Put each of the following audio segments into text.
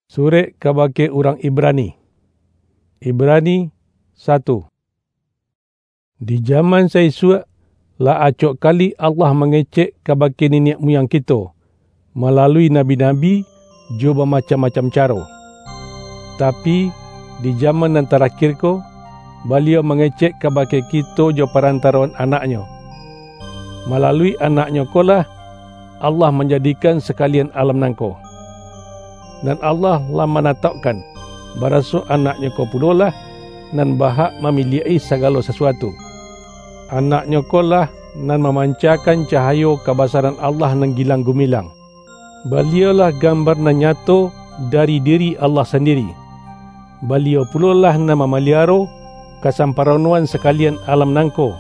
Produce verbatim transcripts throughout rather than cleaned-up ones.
Surek kabake urang Ibrani. Ibrani satu. Di jaman saisuak, lah acok kali Allah mangecek kabake niniak muyang kito, malalui nabi-nabi, jo bamacam-macam caro. Tapi, di jaman nan tarakhir ko, Baliau mangecek kabake kito jo parantaroan Anak-Nyo. Malalui Anak-Nyo ko lah, Allah manjadikan sakalian alam nangko. Nan Allah lah manataukkan, baraso Anak-Nyo ko pulolah, nan bahak mamiliak-i sagalo sasuatu. Anak-Nyo ko lah, nan mamancakan cahayo kabasaran Allah nan gilang gumilang. Baliau-lah gambar nan nyato dari diri Allah sandiri. Baliau pulolah nan mamaliaro kasamparanoan sakalian alam nangko,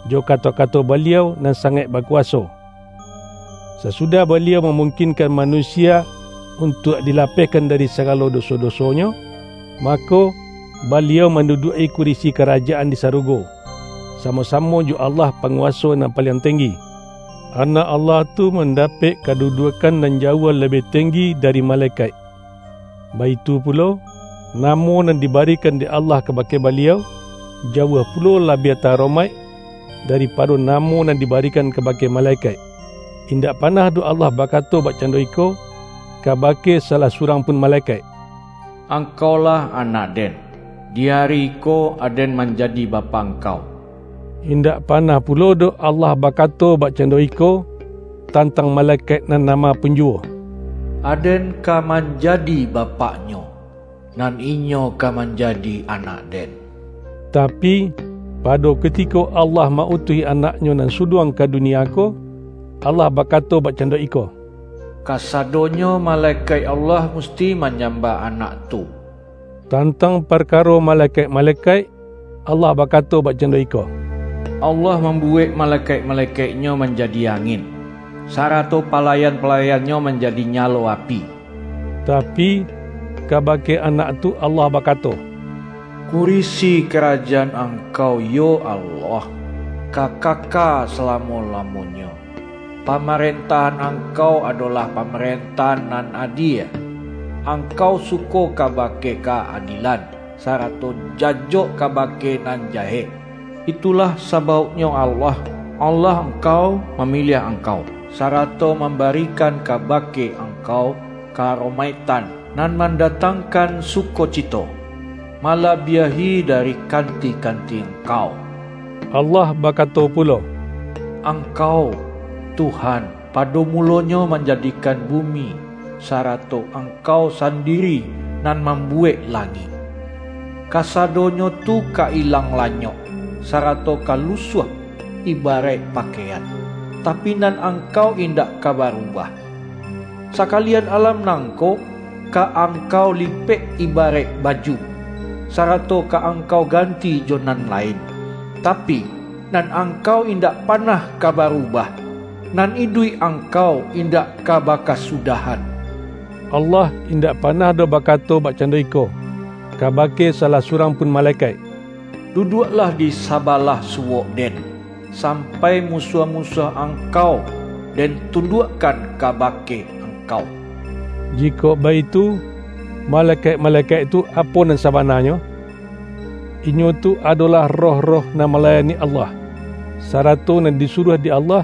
jo kato-kato Baliau nan sangaik bakuwaso. Sasudah Baliau mamungkinkan manusia untuak dilapehkan dari sagalo doso-dosonyo, mako, Baliau manduduak-i kurisi karajaan di sarugo, samo-samo jo Allah Panguwaso Nan Paliang Tenggi. Anak Allah tu mandapek kaduduakan nan jauah labiah tenggi dari malekaik. Baitu pulo, namo nan dibarikan dek Allah kabake Baliau, jauah pulo labiah taromaik daripado namo nan dibarikan kabake malekaik. Indak panah doh Allah bakato bakcando iko kabake salah surang pun malekaik, "Angkaulah anak Den, di ari ko Aden manjadi Bapa angkau." Indak panah pulo doh Allah bakato bakcando iko tantang malekaik nan nama pun juwo, "Aden ka manjadi bapaknyo, nan inyo ka manjadi anak Den." Tapi, pado kutiko Allah ma-utuih Anak-Nyo nan suduang ka dunia ko, Allah bakato bakcando iko, "Kasadonyo malekaik Allah musti manyambah Anak tu." Tantang parkaro malekaik-malekaik, Allah bakato bakcando iko, "Allah mambuwek malekaik-malekaik-Nyo manjadi angin, sarato palayan-palayan-Nyo manjadi nyalo api." Tapi, kabake Anak tu Allah bakato, "Kurisi karajaan Angkau, yo Allah, ka kaka salamo-lamonyo. Pamarentahan Angkau adolah pamarentahan nan adie. Angkau suko kabake kaadilan, sarato jajok kabake nan jahek. Itulah sabauknyo Allah, Allah Angkau, mamiliah Angkau, sarato mambarikan kabake Angkau karomaiktan nan mandatangkan sukocito, malabiahi dari kanti-kanti Angkau." Allah bakato pulo, "Angkau, Tuhan, pado mulonyo manjadikan bumi, sarato Angkau sandiri nan mambuwek langik. Kasadonyo tu ka ilang lanyok, sarato ka lusuah ibaraik pakaian, tapi nan Angkau indak ka barubah. Sakalian alam nangko ka Angkau lipek ibaraik baju, sarato ka Angkau ganti jo nan lain. Tapi, nan Angkau indak panah ka barubah, nan iduik Angkau indak ka bakasudahan." Allah indak panah doh bakato bakcando iko kabake salah surang pun malekaik, "Duduaklah di sabalah suwok Den, sampai musuah-musuah Angkau Den tunduakkan kabake Angkau." Jikok baitu, malekaik-malekaik tu apo nan sabananyo? Inyo tu adolah roh-roh nan malayani Allah, sarato nan disuruah dek Allah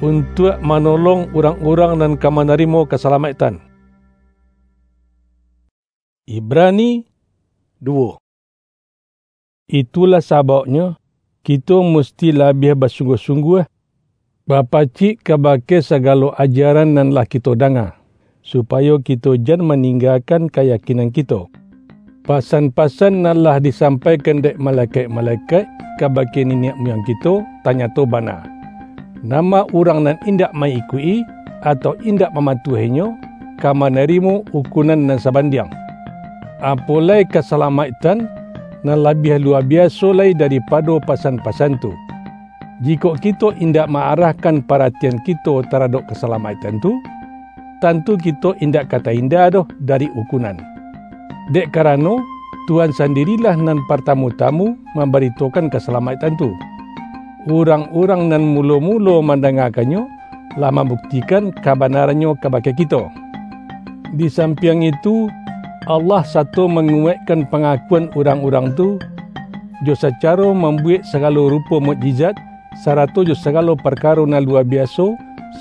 untuak manolong urang-urang nan ka manarimo kasalamaiktan. Ibrani duo. Itulah sababnyo, kito musti labiah basungguah-sungguah bapacik kabake sagalo ajaran nan lah kito danga, supayo kito jan maninggakan kayakinan kito. Pasan-pasan nan lah disampaikan dek malekaik-malekaik kabake niniak muyang kito tanyato bana. Nama urang nan indak ma-ikuik-i, atau indak mamatuahinyo, ka manarimo ukunan nan sabandiang. Apo lai kasalamaiktan nan labiah luwa biaso lai daripado pasan-pasan tu! Jikok kito indak ma-arahkan paratian kito taradok kasalamaiktan tu, tantu kito indak ka tainda doh dari ukunan. Dek karano, Tuhan sandirilah nan partamu-tamu mambaritokan kasalamaiktan tu. Urang-urang nan mulo-mulo mandangakan-nyo, lah mambuktikan kabanarannyo kabake kito. Di sampiang itu, Allah sato manguwaikkan pangakuan urang-urang tu, jo sacaro mambuwek sagalo rupo mukjizat, sarato jo sagalo parkaro nan luwa biaso,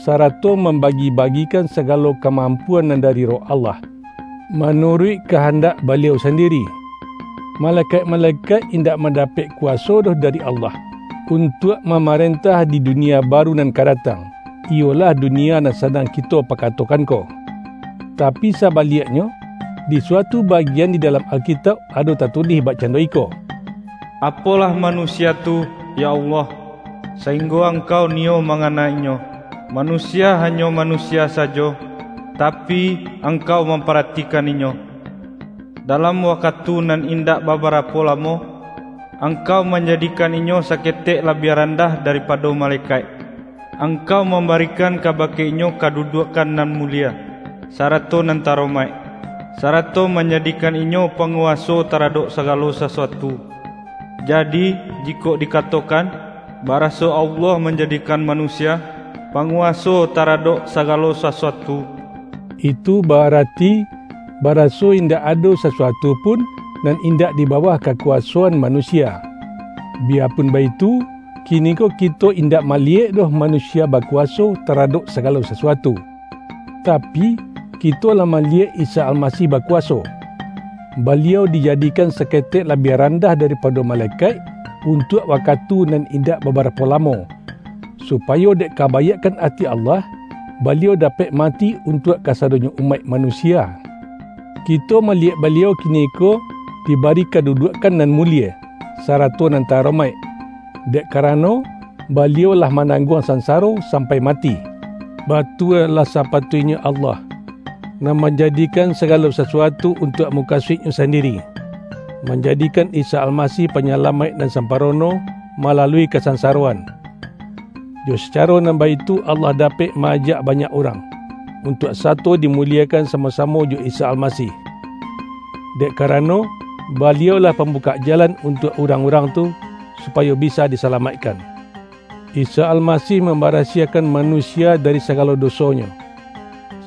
sarato mambagi-bagikan sagalo kamampuan nan dari Roh Allah, manuruik kahandak Baliau sandiri. Malekaik-malekaik indak mandapek kuwaso doh dari Allah, untuak mamarentah di dunia baru nan ka datang, iyolah dunia nan sadang kito pakatokan ko. Tapi sabaliaknyo, di suatu bagian di dalam Alkitauk ado tatulih bakcando iko, "Apolah manusia tu, ya Allah, sainggo Angkau niyo manganainyo? Manusia hanyo manusia sajo, tapi Angkau mamparatikan inyo. Dalam wakatu nan indak babarapo lamo, Angkau manjadikan inyo saketek labiah randah daripado malekaik. Angkau mambarikan kabake inyo kaduduakkan nan mulie, sarato nan taromaik, sarato manjadikan inyo panguwaso taradok sagalo sasuatu. Jadi, jikok dikatokan, baraso Allah manjadikan manusia panguwaso taradok sagalo sasuatu," itu barati, baraso indak ado sasuatu pun nan indak di bawah kakuwasoan manusia. Biyapun baitu, kiniko kito indak maliyek doh manusia bakuwaso taradok sagalo sasuatu. Tapi, kito lah maliyek Isa Almasih bakuwaso. Baliau dijadikan saketek labiah randah daripado malekaik untuak wakatu nan indak babarapo lamo, supayo dek kabaiakkan ati Allah, Baliau dapek mati untuak kasadonyo umaik manusia. Kito maliyek Baliau kiniko dibari kaduduakkan nan mulie, sarato nan taromaik, dek karano Baliau lah manangguang sansaro sampai mati. Batua lah sapatuiknyo Allah, nan manjadikan sagalo sasuatu untuak mukasuik-Nyo sandiri, manjadikan Isa Almasih Panyalamaik nan samparono malalui kasansaroan. Jo sacaro nan baitu Allah dapek ma-ajak banyak urang, untuak sato dimuliekan samo-samo jo Isa Almasih. Dek karano, Baliau lah pambukak jalan untuak urang-urang tu, supayo bisa disalamaikkan. Isa Almasih mambarasiahkan manusia dari sagalo dosonyo,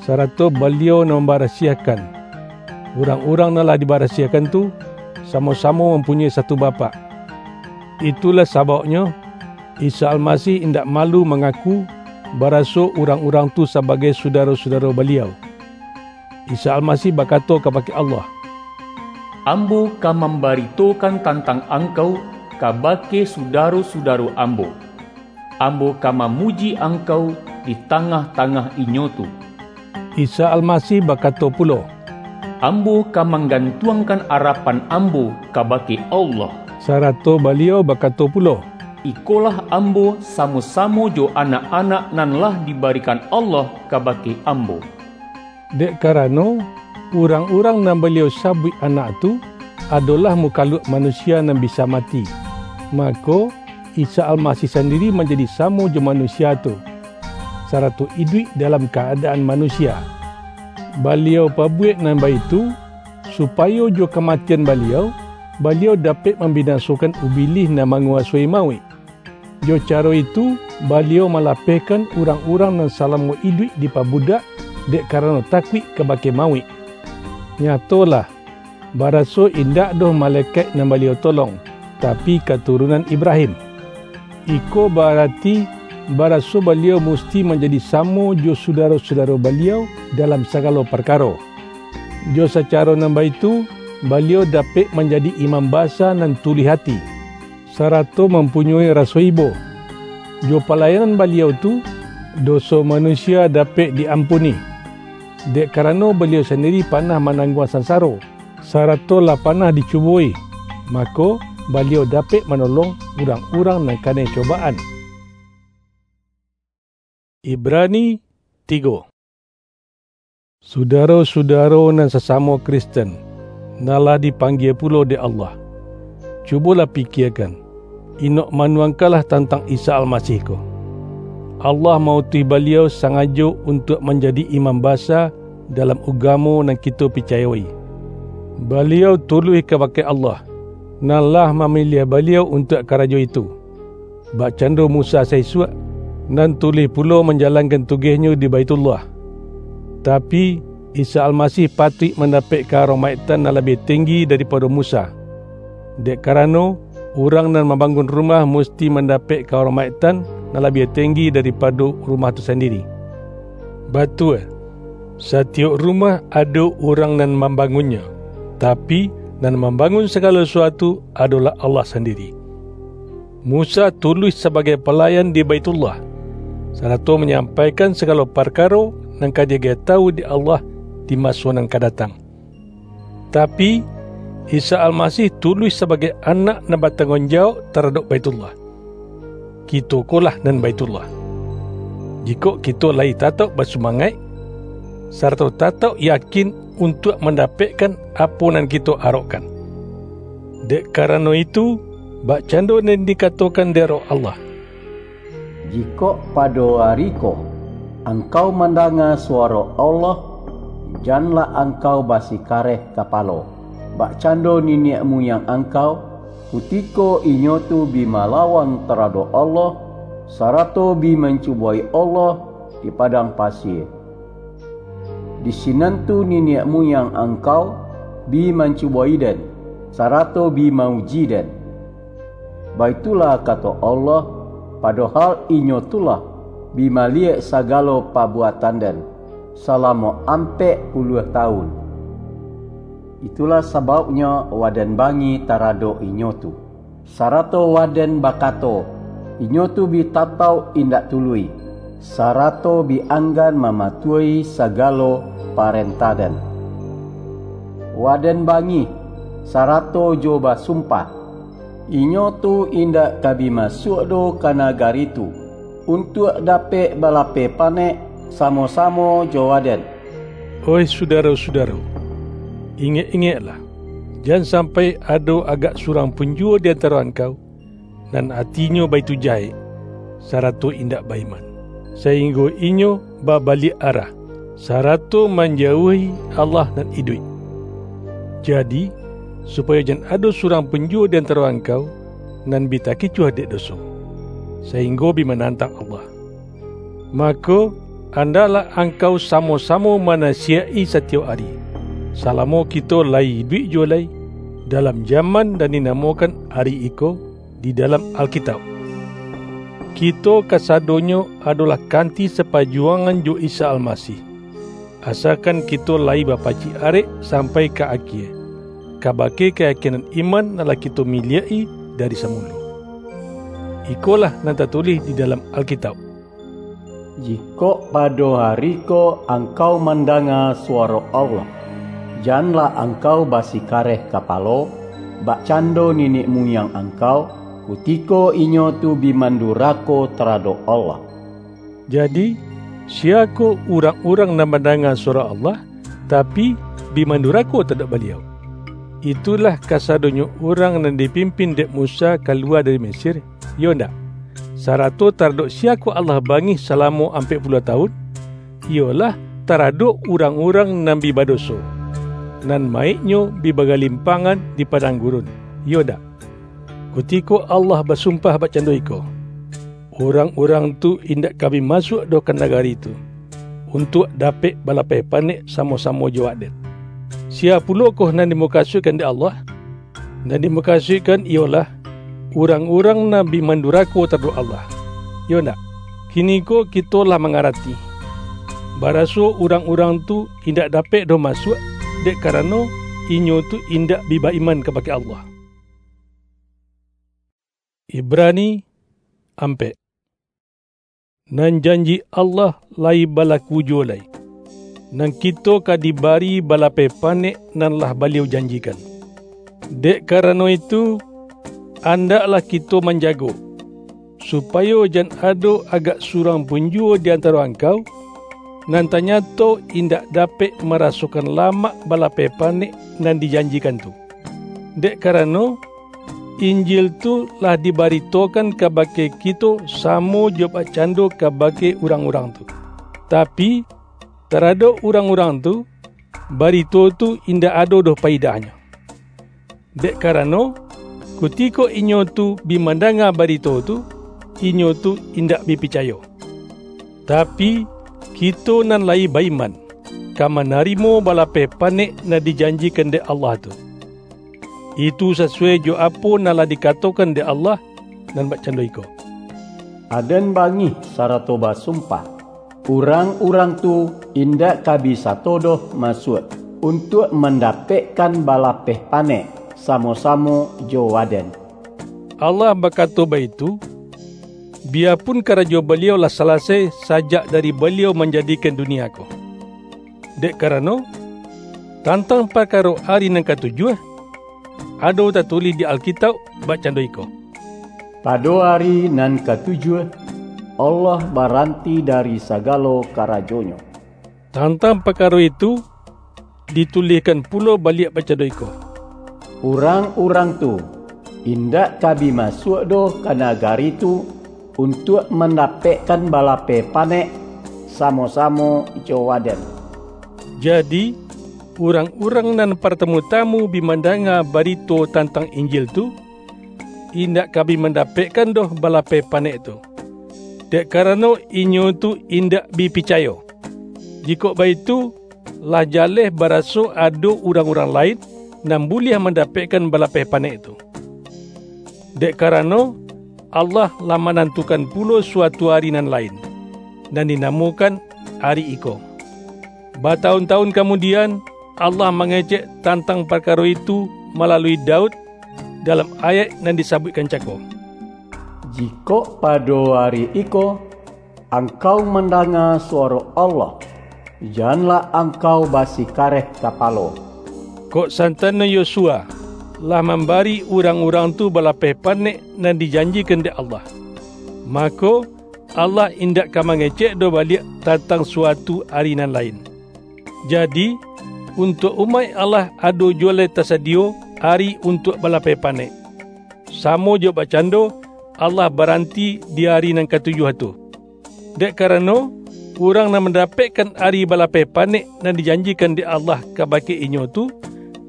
sarato Baliau nan mambarasiahkan. Urang-urang nan lah dibarasiahkan tu, samo-samo mampunyoi satu Bapak. Itulah sabauknyo, Isa Almasih indak malu mangaku, baraso urang-urang tu sabagai sudaro-sudaro Baliau. Isa Almasih bakato kabake Allah, "Ambo ka mambaritokan tantang Angkau kabake sudaro-sudaro ambo. Ambo ka mamuji Angkau di tangah-tangah inyo tu." Isa Almasih bakato pulo, "Ambo ka manggantuangkan arapan ambo kabake Allah." Sarato Baliau bakato pulo, "Ikolah ambo samo-samo jo anak-anak nan lah dibarikan Allah kabake ambo." Dek karano, urang-urang nan Baliau sabuik anak tu, adolah mukaluak manusia nan bisa mati. Mako, Isa Almasih sandiri manjadi samo jo manusia tu, sarato iduik dalam ka-adaan manusia. Baliau pabuwek nan baitu, supayo jo kamatian Baliau, Baliau dapek mambinasokan Ubilih nan manguwasoi mauik. Jo caro itu, Baliau malapehkan urang-urang nan salamo iduik dipabudak dek karano takuik kabake mauik. Nyatolah, baraso indak doh malekaik nan Baliau tolong, tapi katurunan Ibrahim. Iko barati, baraso Baliau musti manjadi samo jo sudaro-sudaro Baliau dalam sagalo parkaro. Jo sacaro nan baitu, Baliau dapek manjadi Imam Basa nan tuluih ati, sarato mampunyoi raso ibo. Jo palayanan Baliau tu, doso manusia dapek di-ampuni, dek karano Baliau sandiri panah manangguang sansaro, sarato lah panah dicubo-i, mako, Baliau dapek manolong urang-urang nan kanai cobaan. Ibrani tigo. Sudaro-sudaro nan sasamo Kristen, nan lah dipanggie pulo dek Allah, cubolah pikiakan, inok manuangkanlah tantang Isa Almasih ko. Allah mautuih Baliau sangajo untuak manjadi Imam Basa dalam ugamo nan kito picayo-i. Baliau tuluih kabake Allah, nan lah mamiliah Baliau untuak karajo itu, bakcando Musa saisuak, nan tuluih pulo manjalankan tugehnyo di Baithullah. Tapi, Isa Almasih patuik mandapek karomaiktan nan labiah tinggi daripado Musa, dek karano, urang nan mambangun rumah musti mandapek karomaiktan nan labiah tinggi daripado rumah tu sandiri. Batua, satiyok rumah ado urang nan mambangunnyo, tapi, nan mambangun sagalo suatu adolah Allah sandiri. Musa tuluih sabagai palayan di Baitullah, sarato manyampaikan sagalo parkaro nan ka diagiah tawu dek Allah di maso nan ka datang. Tapi, Isa Almasih tuluih sabagai anak nan batangguang jawab taradok Baitullah. Kito ko lah nan Baitullah. Jikok kito layi tatauk basumangaik, sarato tatauk yakin untuak mandapekkan apo nan kito arokkan. Dek karano itu, bakcando nan dikatokan dek Roh Allah, "Jikok pado ari ko, angkau mandanga suwaro Allah, janlah angkau basikareh kapalo, bakcando niniak muyang angkau, kutiko inyo tu bi malawang taradok Allah, sarato bi mancubo-i Allah di padang pasie. Di sinan tu niniak muyang angkau bi mancubo-i Den, sarato bi ma-uji Den. Baitulah kato Allah, padohal inyo tu lah bi maliyek sagalo pabuatan Den, salamo ampek puluah tawun. Itulah sabauknyo Waden bangih taradok inyo tu, sarato Waden bakato, inyo tu bi tatauk indak tuluih, sarato bi anggan mamatuahi sagalo parentah Den. Waden bangih, sarato jo basumpah, inyo tu indak ka bi masuak doh ka nagari tu, untuak dapek balapeh panek samo-samo jo Waden." Oih sudaro-sudaro, ingek-ingeklah, jan sampai ado agak surang pun juwo di antaro angkau, nan atinyo baitu jahek, sarato indak ba-iman, sainggo inyo babaliak arah, sarato manjauahi Allah nan iduik. Jadi, supayo jan ado surang pun juwo di antaro angkau, nan bi takicuah dek doso, sainggo bi manantang Allah. Mako, andaklah angkau samo-samo manasiyaik-i satiyok ari, salamo kito layi iduik juwo lai, dalam jaman nan dinamokan ari iko, di dalam Alkitauk. Kito kasadonyo adolah kanti sapajuwangan jo Isa Almasih, asakan kito layi bapacik arek sampai ka akie, kabake kayakinan iman nan lah kito miliak-i dari samulo. Ikolah nan tatulih di dalam Alkitauk, "Jikok pado ari ko angkau mandanga suwaro Allah, janlah angkau basikareh kapalo, bakcando niniak muyang angkau, kutiko inyo tu bi mandurako taradok Allah." Jadi, siyakoh urang-urang nan mandanga suwaro Allah, tapi, bi mandurako taradok Baliau? Itulah kasadonyo urang nan dipimpin dek Musa kaluwa dari Mesir, iyo ndak? Sarato taradok siyakoh Allah bangih salamo ampek puluah tawun? Iyolah, taradok urang-urang nan bi badoso, nan mayiknyo bi bagalimpangan di padang gurun, iyo ndak? Kutiko Allah basumpah bakcando iko, "Urang-urang tu indak ka bi masuak doh ka nagari tu, untuak dapek balapeh panek samo-samo jo Waden." Siya pulokoh nan dimukasuikkan dek Allah? Nan dimukasuikkan iyolah, urang-urang nan bi mandurako taradok Allah. Iyo ndak? Kiniko kito lah mangarati, baraso urang-urang tu indak dapek doh masuak, dek karano, inyo tu indak bi ba-iman kabake Allah. Ibrani ampek. Nan janji Allah layi balaku juwo lai, nan kito ka dibari balapeh panek nan lah Baliau janjikan. Dek karano itu, andaklah kito manjago, supayo jan ado agak surang pun juwo di antaro angkau, nan tanyato indak dapek marasokan lamak balapeh panek nan dijanjikan tu. Dek karano, Injil tu lah dibaritokan kabake kito samo jo bakcando kabake urang-urang tu. Tapi, taradok urang-urang tu, barito tu indak ado doh paidahnyo. Dek karano, kutiko inyo tu bi mandanga barito tu, inyo tu indak bi picayo. Tapi, kito nan layi ba-iman, ka manarimo balapeh panek nan dijanjikan dek Allah tu. Itu sasuai jo apo nan lah dikatokan dek Allah, nan bakcando iko, "Aden bangih sarato basumpah, urang-urang tu indak ka bi sato doh masuak, untuak mandapekkan balapeh panek samo-samo jo Waden." Allah bakato baitu, biyapun karajo Baliau lah salasai sajak dari Baliau manjadikan dunia ko. Dek karano, tantang parkaro ari nan katujuah, ado tatulih di Alkitauk bakcando iko, "Pado ari nan katujuah, Allah baranti dari sagalo karajo-Nyo." Tantang parkaro itu, ditulihkan pulo baliak bakcando iko, "Urang-urang tu indak ka bi masuak doh ka nagari tu, untuak mandapekkan balapeh panek samo-samo jo Waden." Jadi, urang-urang nan partamu-tamu bi mandanga barito tantang Injil tu, indak ka bi mandapekkan doh balapeh panek tu, dek karano inyo tu indak bi picayo. Jikok baitu, lah jaleh baraso ado urang-urang lain nan buliah mandapekkan balapeh panek tu. Dek karano, Allah lah manantukan pulo suatu ari nan lain, nan dinamokan ari iko. Batawun-tawun kamudian, Allah mangecek tantang parkaro itu malalui Daud dalam ayaik nan disabuikkan cako, "Jikok pado ari iko, angkau mandanga suwaro Allah, janlah angkau basikareh kapalo." Kok santano Yosua lah mambari urang-urang tu balapeh panek nan dijanjikan dek Allah, mako, Allah indak ka mangecek doh baliak tantang suatu ari nan lain. Jadi, untuak umaik Allah ado juo lai tasadiyo ari untuak balapeh panek, samo jo bakcando Allah baranti di ari nan katujuah tu. Dek karano, urang nan mandapekkan ari balapeh panek nan dijanjikan dek Allah kabake inyo tu,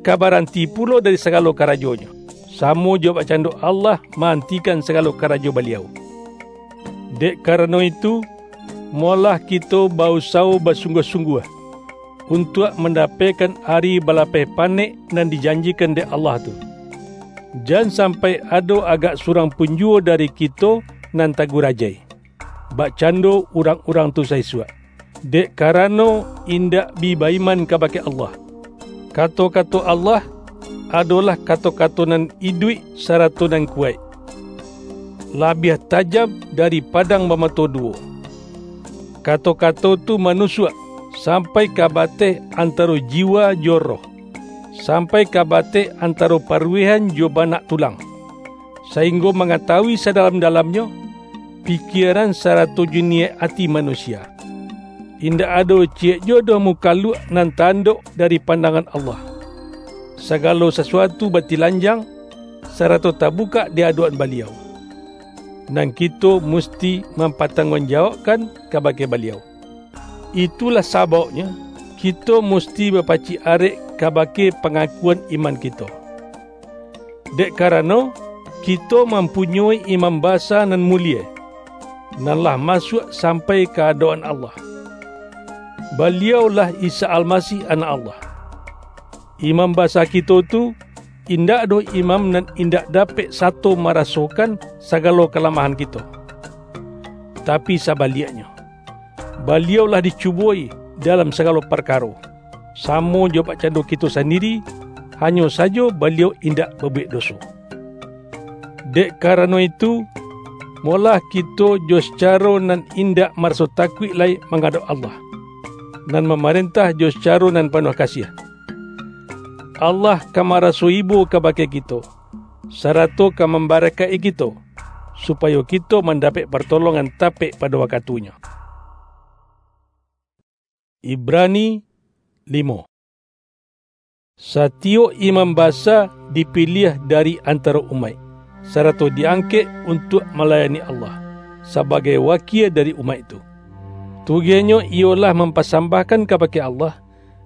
ka baranti pulo dari sagalo karajonyo, samo jo bakcando Allah maantikan sagalo karajo Baliau. Dek karano itu, molah kito ba-usawo basungguah-sungguah untuak mandapekkan ari balapeh panek nan dijanjikan dek Allah tu. Jan sampai ado agak surang pun juo dari kito nan tagurajai, bakcando urang-urang tu saisuak, dek karano indak bi ba-iman kabake Allah. Kato-kato Allah adolah kato-kato nan iduik sarato nan kuwaik, labiah tajam dari padang bamato duwo. Kato-kato tu manusuak sampai ka bateh antaro jiwa jo roh, sampai ka bateh antaro paruwehan jo banak tulang, sainggo mangatawui sadalam-dalamnyo pikieran sarato jo niyaik ati manusia. Indak ado ciyek juo doh mukaluak nan taandok dari pandangan Allah. Sagalo sasuatu batilanjang, sarato tabukak di adok-an Baliau, nan kito musti mampatangguangjawabkan kabake Baliau. Itulah sabauknyo, kito musti bapacik arek kabake pangakuan iman kito. Dek karano, kito mampunyoi Imam Basa nan mulie, nan lah masuak sampai ka adok-an Allah. Baliaulah Isa Almasih, Anak Allah. Imam Basa kito tu, indak doh imam nan indak dapek sato marasokan sagalo kalamahan kito. Tapi sabaliaknyo, Baliau lah dicuboi dalam sagalo parkaro, samo jo bakcando kito sandiri, hanyo sajo Baliau indak babuwek doso. Dek karano itu, molah kito jo sacaro nan indak maraso takuik lai mangadok Allah, nan mamarentah jo sacaro nan panuah kasiah. Allah ka maraso ibo kabake kito, sarato ka mambarakaik-i kito, supayo kito mandapek partolongan tapek pado wakatunyo. Ibrani limo. Satiyok imam basa dipiliah dari antaro umaik, sarato diangkek untuak malayani Allah, sabagai wakia dari umaik tu. Tugehnyo iyolah mampasambahkan kabake Allah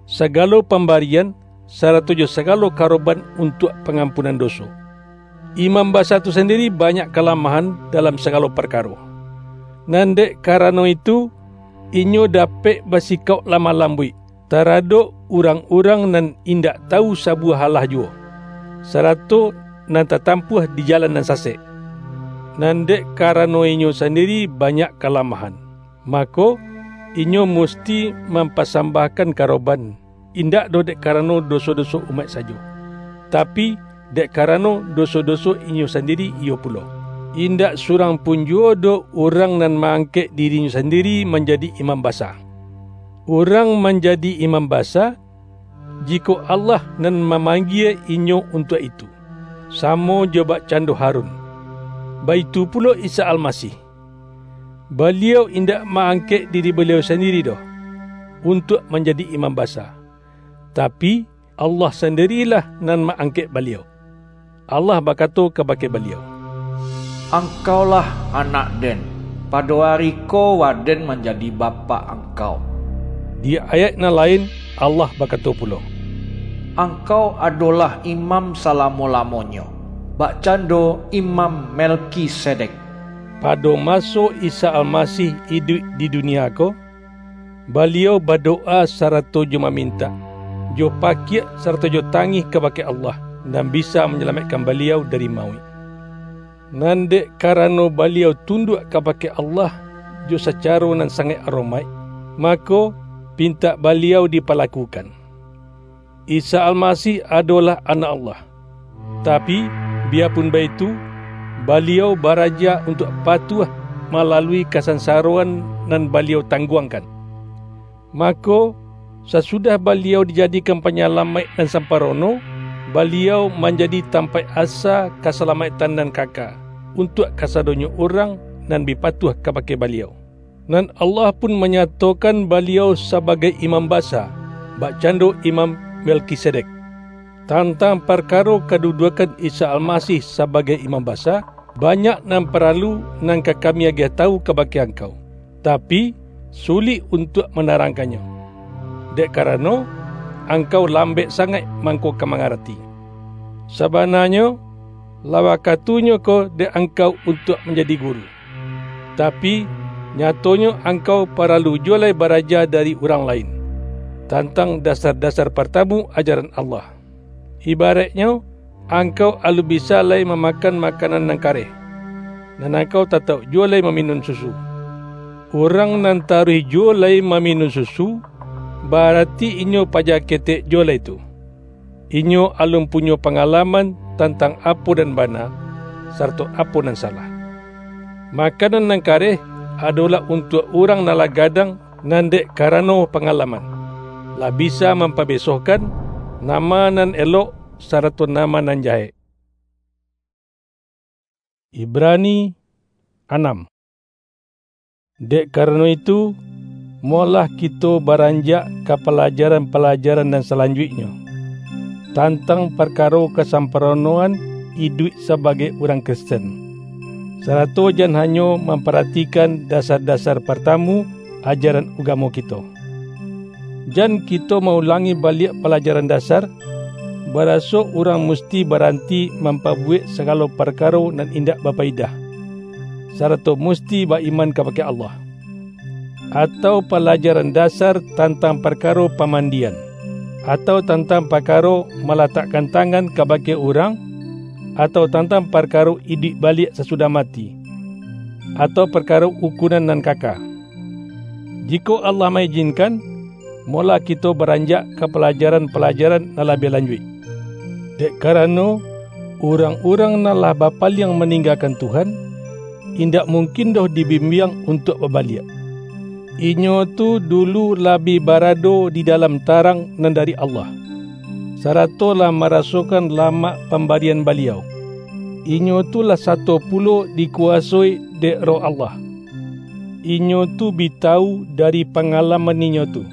sagalo pambarian, sarato jo sagalo karoban untuak pangampunan doso. Imam basa tu sandiri banyak kalamahan dalam sagalo parkaro. Nan dek karano itu, inyo dapek basikauk lamah lambuik, taradok urang-urang nan indak tawu sabuwah alah juwo, sarato nan tatampuah di jalan nan sasek. Nan dek karano inyo sandiri banyak kalamahan, mako, inyo musti mampasambahkan karoban, indak doh dek karano doso-doso umaik sajo, tapi, dek karano doso-doso inyo sandiri iyo pulo. Indak surang pun juwo doh urang nan ma-angkek dirinyo sandiri manjadi imam basa. Urang manjadi imam basa, jikok Allah nan mamanggie inyo untuak itu, samo jo bakcando Harun. Baitu pulo Isa Almasih. Baliau indak ma-angkek diri Baliau sandiri doh, untuak manjadi imam basa, tapi, Allah sandirilah nan ma-angkek Baliau. Allah bakato kabake Baliau, "Angkaulah Anak-Den, pado ari ko Waden manjadi Bapak Angkau." Di ayaik nan lain, Allah bakato pulo, "Angkau adolah imam salamo-lamonyo, bakcando Imam Melkisedek." Pado maso Isa Almasih iduik di dunia ko, Baliau badowa sarato jo mamintak, jo pakiak sarato jo tangih kabake Allah, nan bisa manyalamaikkan Baliau dari mauik. Nan dek karano Baliau tunduak kabake Allah jo sacaro nan sangaik aromaik, mako, pintak Baliau dipalakukan. Isa Almasih adolah Anak Allah. Tapi, biyapun baitu, Baliau baraja untuak patuah malalui kasansaroan nan Baliau tangguangkan. Mako, sasudah Baliau dijadikan Panyalamaik nan samparono, Baliau manjadi tampaik asa kasalamaiktan nan kaka, untuak kasadonyo urang nan bi patuah kabake Baliau. Nan Allah pun manyatokan Baliau sabagai Imam Basa, bakcando Imam Melkisedek. Tantang parkaro kaduduakan Isa Almasih sabagai Imam Basa, banyak nan paralu nan ka kami agiah tawu kabake angkau, tapi, sulik untuak manarangkannyo, dek karano, angkau lambek sangaik mangko ka mangarati. Sabananyo, lah wakatunyo ko dek angkau untuak manjadi guru. Tapi, nyatonyo angkau paralu juwo lai baraja dari urang lain, tantang dasar-dasar partamu ajaran Allah. Ibaraiknyo, angkau alun bisa lai mamakan makanan nan kareh, nan angkau tatauk juwo lai maminun susu. Urang nan taruih juwo lai maminun susu, barati inyo paja ketek juwo lai tu. Inyo alun punyo pangalaman tantang apo nan bana, sarato apo nan salah. Makanan nan kareh adolah untuak urang nan lah gadang, nan dek karano pangalaman, lah bisa mampabesohkan nama nan elok sarato nama nan jahek. Ibrani anam. Dek karano itu, molah kito baranjak ka palajaran-palajaran nan salanjuiknyo, tantang parkaro kasamparonoan iduik sabagai urang Kristen, sarato jan hanyo mamparatikan dasar-dasar partamu ajaran ugamo kito. Jan kito ma-ulangi baliak palajaran dasar, baraso urang musti baranti mampabuwek sagalo parkaro nan indak bapaidah, sarato musti ba-iman kabake Allah. Atau palajaran dasar tantang parkaro pamandian, atau tantang parkaro malatakkan tangan kabake urang, atau tantang parkaro iduik baliak sasudah mati, atau parkaro ukunan nan kaka. Jikok Allah maijinkan, molah kito baranjak ka palajaran-palajaran nan labiah lanjuik. Dek karano, urang-urang nan lah bapaliang maninggakan Tuhan, indak mungkin doh dibimbiang untuak babaliak. Inyo tu dulu lah bi barado di dalam tarang nan dari Allah, sarato lah marasokan lamak pambarian Baliau. Inyo tu lah sato pulo dikuwasoi dek Roh Allah. Inyo tu bi tawu dari pangalaman inyo tu,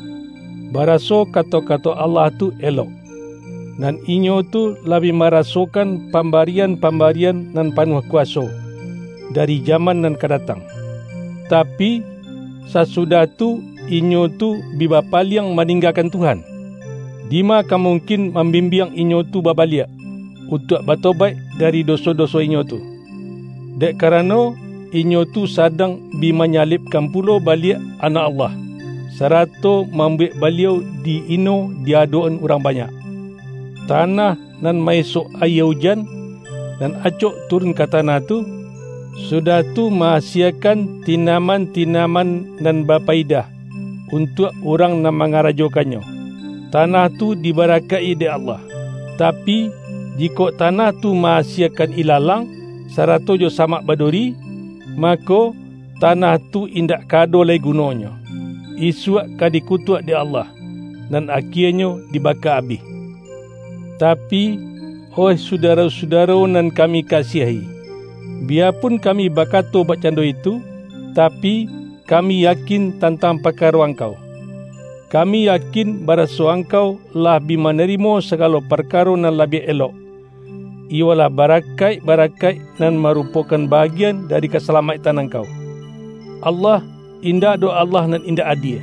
baraso kato-kato Allah tu elok. Nan inyo tu lah bi marasokan pambarian-pambarian nan panuah kuwaso, dari jaman nan ka datang. Tapi, sasudah tu, inyo tu bi bapaliang maninggakan Tuhan. Dima ka mungkin mambimbiang inyo tu babaliak, untuak batobaik dari doso-doso inyo tu? Dek karano, inyo tu sadang bi manyalibkan pulo baliak Anak Allah. sarato mambuwek baliau di-ino di adok-an urang banyak. Tanah nan maesok ayie ujan, nan acok turun ka tanah tu, sudah tu ma-asiakan tinaman-tinaman nan bapayidah untuak urang nan mangarajokannyo. Tanah tu dibarakaik-i dek Allah. Tapi, jikok tanah tu ma-asiakan ilalang, sarato jo samak baduri, mako, tanah tu indak ka ado lai gunonyo. Isuak ka dikutuak dek Allah, nan akienyo dibaka abih. Tapi, oih sudaro-sudaro nan kami kasiahi, biyapun kami bakato bakcando itu, tapi, kami yakin tantang parkaro angkau. Kami yakin baraso angkau lah bi manarimo sagalo parkaro nan labiah elok, iyolah barakaik-barakaik nan marupokan bagian dari kasalamaiktan angkau. Allah indak doh Allah nan indak adie.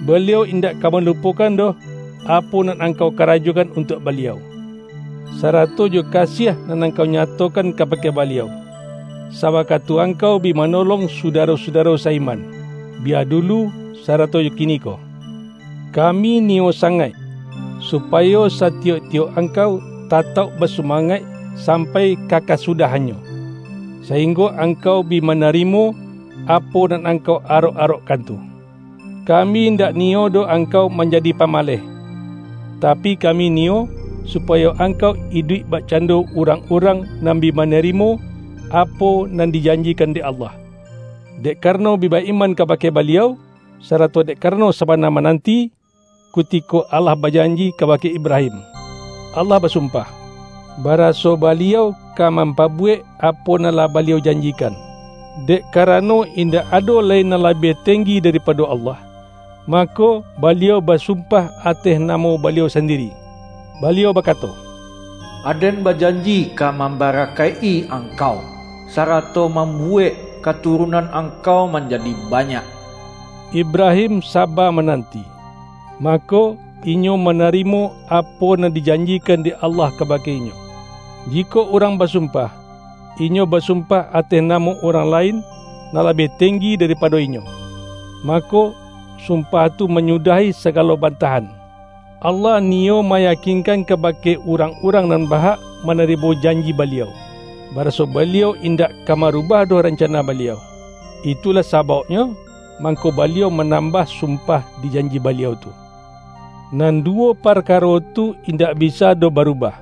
Baliau indak ka malupokan doh apo nan angkau karajokan untuak Baliau, sarato jo kasiah nan angkau nyatokan kabake Baliau, sawakatu angkau bi manolong sudaro-sudaro saiman, bia dulu sarato jo kiniko. Kami niyo sangaik, supayo satiyok-tiyok angkau tatauk basumangaik sampai ka kasudahannyo, sainggo angkau bi manarimo apo nan angkau arok-arokkan tu. Kami indak niyo doh angkau manjadi pamaleh, tapi, kami niyo supayo angkau iduik bakcando urang-urang nan bi manarimo apo nan dijanjikan dek Allah. Dek karano bi ba-iman kabake Baliau, sarato dek karano sabana mananti, kutiko Allah bajanji kabake Ibrahim. Allah basumpah, baraso Baliau ka mampabuwek apo nan lah Baliau janjikan. Dek karano indak ado lai nan labiah tenggi daripado Allah, mako, Baliau basumpah ateh namo Baliau sandiri. Baliau bakato, "Aden bajanji ka mambarakaik-i angkau, sarato mambuwek katurunan angkau manjadi banyak." Ibrahim saba mananti. Mako, inyo manarimo apo nan dijanjikan dek Allah kabake inyo. Jikok urang basumpah, inyo basumpah ateh namo urang lain nan labiah tenggi daripado inyo, mako, sumpah tu manyudahi sagalo bantahan. Allah niyo mayakinkan kabake urang-urang nan bahak manarimo janji Baliau, baraso Baliau indak ka marubah doh rancana Baliau. Itulah sabauknyo, mangko Baliau manambah sumpah di janji Baliau tu. Nan duwo parkaro tu indak bisa doh barubah.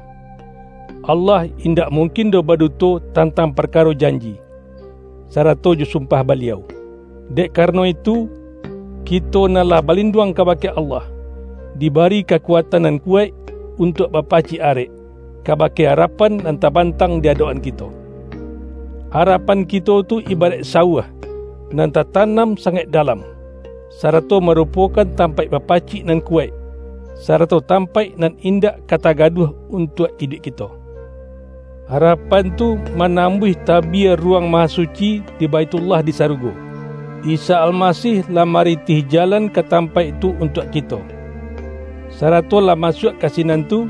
Allah indak mungkin doh baduto tantang parkaro janji, sarato jo sumpah Baliau. Dek karano itu, kito nan lah balinduang kabake Allah, dibari kakuatan nan kuwaik untuak bapacik arek, kabake arapan nan tabantang di adok-an kito. Arapan kito tu ibaraik sauah, nan tatanam sangaik dalam, sarato marupokan tampaik bapacik nan kuwaik, sarato tampaik nan indak ka tagaduah untuak iduik kito. Arapan tu manambuih tabia Ruwang Mahasuci di Baithullah di sarugo. Isa Almasih lah maritih jalan ka tampaik tu untuak kito, sarato lah masuak ka sinan tu,